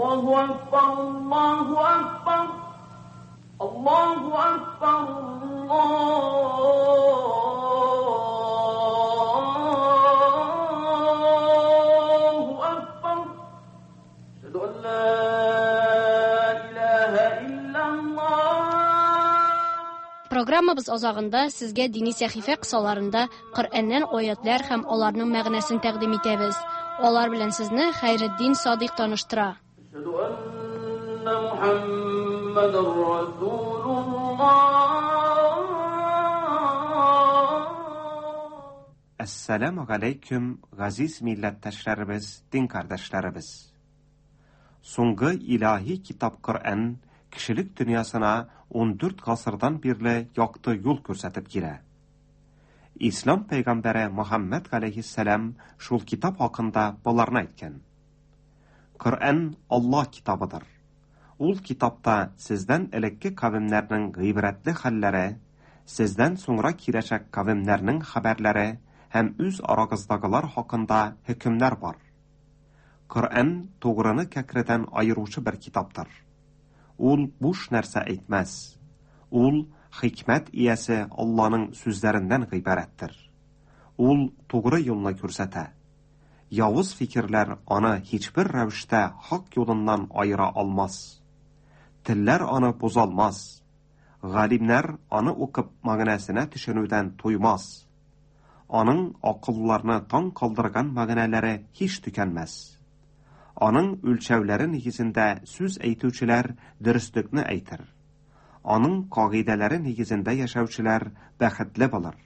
Аллаһу акбар, Аллаһу акбар, Аллаһу акбар, Аллаһу акбар. Әшһәду ан ла илаһа иллаллаһ. Программабыз азагында сезгә дини сәхифә кысаларында Коръәннән аятлар һәм аларның мәгънәсен тәкъдим итәбез. Алар белән сезне Хәйретдин Садыйк таныштыра. Әшһәду анна Мухаммадар Расулуллаһ. Әссәламү галәйкүм, газиз милләттәшләребез, дин кардәшләребез! Соңгы илаһи китап Коръән кешелек дөньясына 14 гасырдан бирле якты юл күрсәтеп килә. Ислам пәйгамбәре Мөхәммәд галәйһиссәлам шул китап хакында боларны әйткән. Коръән Аллаһ китабыдыр. Ул китапта сездән элекке кавемнәрнең гыйбрәтле хәлләре, сездән соңра киләчәк кавемнәрнең хәбәрләре һәм үз арагыздагылар хакында хөкемнәр бар. Коръән тугрыны кәкредән аеручы бер китаптыр. Ул буш нәрсә әйтмәс. Ул хикмәт иясе Алланың сүзләреннән гыйбарәттер. Ул тугры юлны күрсәтә. Явыз фикерләр аны һичбер рәвештә хак юлыннан аера алмас. Телләр аны бозалмас. Галимнәр аны укып мәгънәсенә төшенүдән туймас. Аның акылларны таң калдырган мәгънәләре һич төкәнмәс. Аның үлчәүләре нигезендә сүз әйтүчеләр дөреслекне әйтер. Аның кагыйдәләре нигезендә яшәүчеләр бәхетле булыр.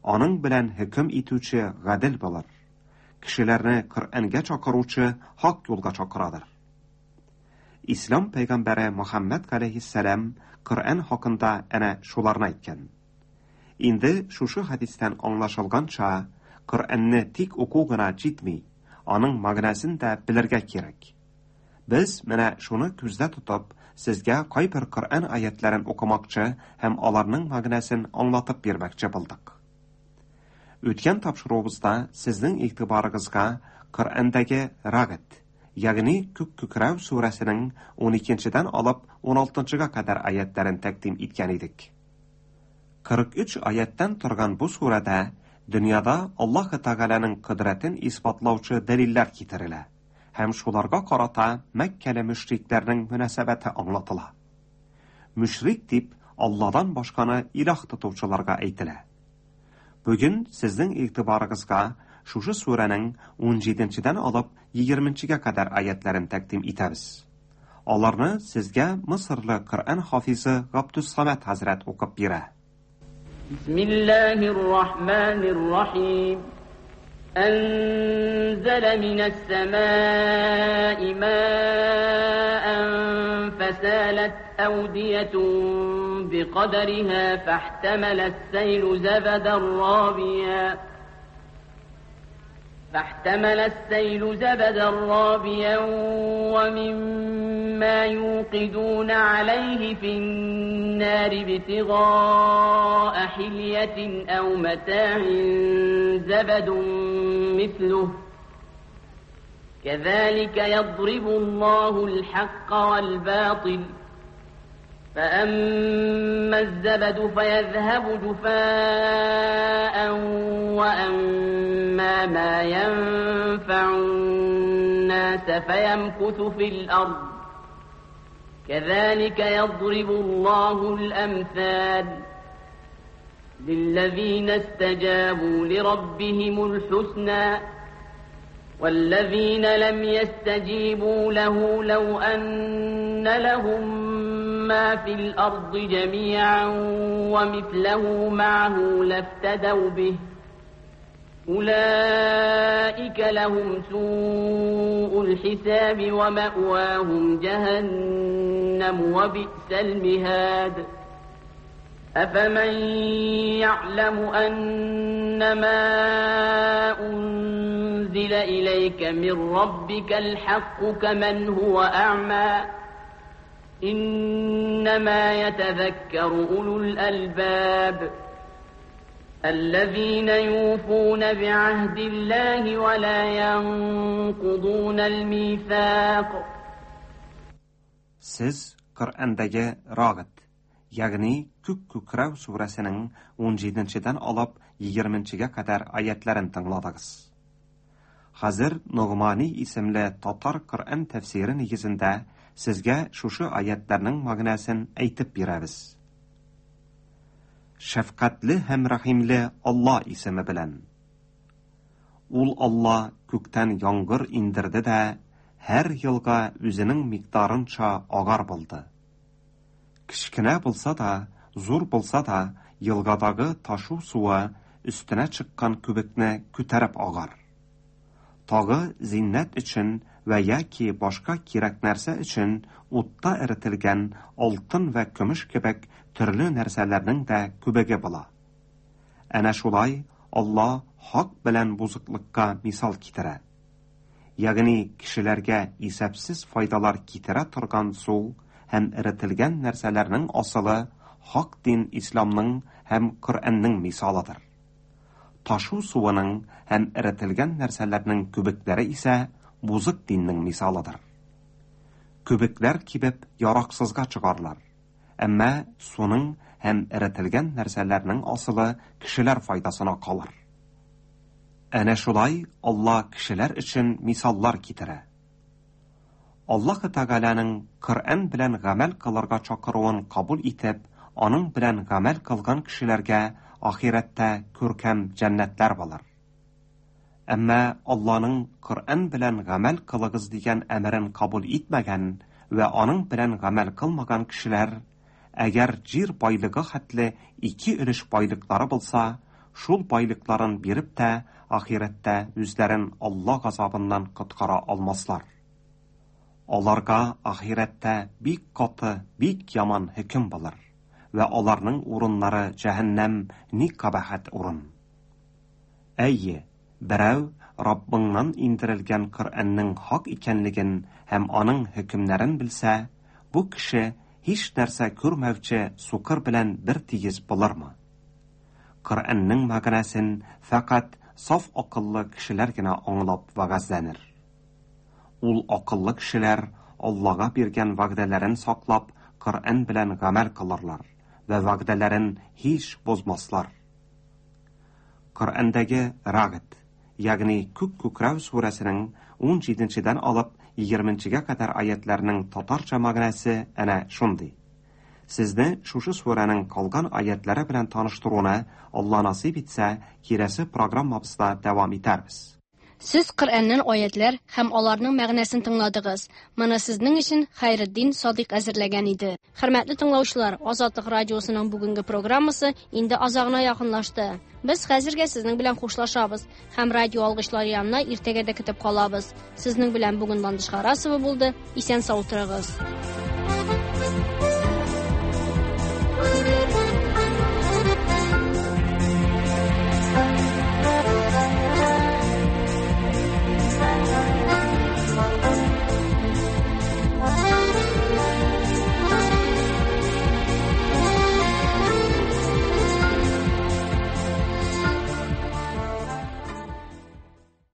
Аның белән хөкем итүче гадел булыр. Кешеләрне Коръәнгә чакыручы хак юлга чакырадыр. Ислам пәйгамбәре Мөхәммәд галәйһиссәлам Коръән хакында әнә шуларны әйткән. Инде шушы хәдистән аңлашылганча, Коръәнне тик уку гына җитми, аның мәгънәсен дә белергә кирәк. Без менә шуны күздә тотып, сезгә кайбер Коръән аятләрен укымакчы һәм аларның мәгънәсен аңлатып бирмәкче булдык. Үткән тапшыруыбызда сезнең игътибарыгызга Коръәндәге Рагд, ягъни Күк күкрәү сүрәсенең 12-дән алып 16-га кадәр аятларын тәкъдим иткән идек. 43 аяттан торган бу сүрәдә дөньяда Аллаһ Тәгаләнең кодрәтен исбатлаучы дәлилләр китерелә һәм шуларга карата Мәккәле мөшрикләрнең мөнәсәбәте аңлатыла. Мөшрик дип Алладан башканы илаһ тотучыларга әйтелә. Бүген сезнең игътибарыгызга шушы сүрәнең 17-дән алып 20-гә кадәр аятларын тәкъдим итәбез. Аларны сезгә Мысырлы Коръән хафизы Габдус-Самад хәзрәт укып бирә. بسم الله الرحمن الرحيم أنزل من السماء ماء فسالت أودية بقدرها فاحتمل السيل زبدا رابيا فاحتمل السيل زبدا رابيا ومما يوقدون عليه في النار ابتغاء حلية أو متاع زبد مثله كذلك يضرب الله الحق والباطل فأما الزبد فيذهب جفاء وأما ما ينفع الناس فيمكث في الأرض كذلك يضرب الله الأمثال للذين استجابوا لربهم الحسنى والذين لم يستجيبوا له لو أن لهم ما في الأرض جميعا ومثله معه لافتدوا به أولئك لهم سوء الحساب ومأواهم جهنم وبئس المهاد أفمن يعلم أنما أنزل إليك من ربك الحق كمن هو أعمى إنما يتذكر أولو الألباب الذين يوفون بعهد الله ولا ينقضون الميثاق Сез Коръәндәге Рагд, ягъни Күк күкрәү сүрәсенең 17-дән алып 20-гә кадәр аятларын тыңладыгыз. Хәзер Ногмани исемле татар Коръән тәфсире нигезендә сезгә шушы аятларның мәгънәсен әйтеп бирәбез. Шәфкатьле һәм рәхимле Алла исеме белән. Ул Алла күктән яңгыр индерде дә, һәр елга үзенең микъдарынча агар булды. Кечкенә булса да, зур булса да, елгадагы ташу суы өстенә чыккан күбекне күтәреп агар. Тагы зиннәт өчен вә яки башка кирәк нәрсә өчен утта эретелгән алтын вә көмеш кебек төрле нәрсәләрнең дә күбеге була. Әнә шулай Алла хак белән бозыклыкка мисал китерә. Ягъни кешеләргә исәпсез файдалар китерә торган су һәм эретелгән нәрсәләрнең асылы хак дин исламның һәм Коръәннең мисалыдыр. Ташу суының һәм эретелгән нәрсәләрнең күбекләре исә бузык диннең мисалыдыр. Күбекләр кибеп яраксызга чыгарлар. Әмма суның һәм эретелгән нәрсәләрнең асылы кешеләр файдасына калыр. Әнә шулай Алла кешеләр өчен мисаллар китерә. Аллаһ Тәгаләнең Коръән белән гамәл кылырга чакыруын кабул итеп, аның белән гамәл кылган кешеләргә ахирәттә күркәм җәннәтләр булыр. Әмма Алланың Коръән белән гамәл кылыгыз дигән әмерен кабул итмәгән вә аның белән гамәл кылмаган кешеләр, әгәр җир байлыгы хәтле ике өлеш байлыклары булса, шул байлыкларын биреп тә ахирәттә үзләрен Алла газабыннан коткара алмаслар. Аларга ахирәттә бик каты, бик яман хөкем булыр вә аларның урыннары җәһәннәм ни кабахәт урын. Әйе, берәү Раббыңнан индерелгән Коръәннең хак икәнлеген һәм аның хөкемнәрен белсә, бу кеше һич нәрсә күрмәүче сукыр белән бер тигез булырмы? Коръәннең мәгънәсен фәкать саф акыллы кешеләр генә аңлап вәгазьләнер. Ул акыллы кешеләр Аллага биргән вәгъдәләрен саклап, Коръән белән гамәл кылырлар вә вәгъдәләрен һич бозмаслар. Коръәндәге Рагд, ягъни Күк күкрәү сүрәсенең 17-дән алып 20-гә кадәр аятларның татарча мәгънәсе әнә шундый. Сезне шушы сүрәнең калган аятлары белән таныштыруны Алла насыйп итсә, киләсе программабызда дәвам итәрбез. Сез Коръәннән аятлар һәм аларның мәгънәсен тыңладыгыз. Моны сезнең өчен Хәйретдин Садыйк әзерләгән иде. Хөрмәтле тыңлаучылар, Азатлык радиосының бүгенге программасы инде азагына якынлашты. Без хәзергә сезнең белән хушлашабыз һәм радио алгычлар янына иртәгә дә көтеп калабыз. Сезнең белән бүген Ландыш Харасова булды. Исән сау торыгыз.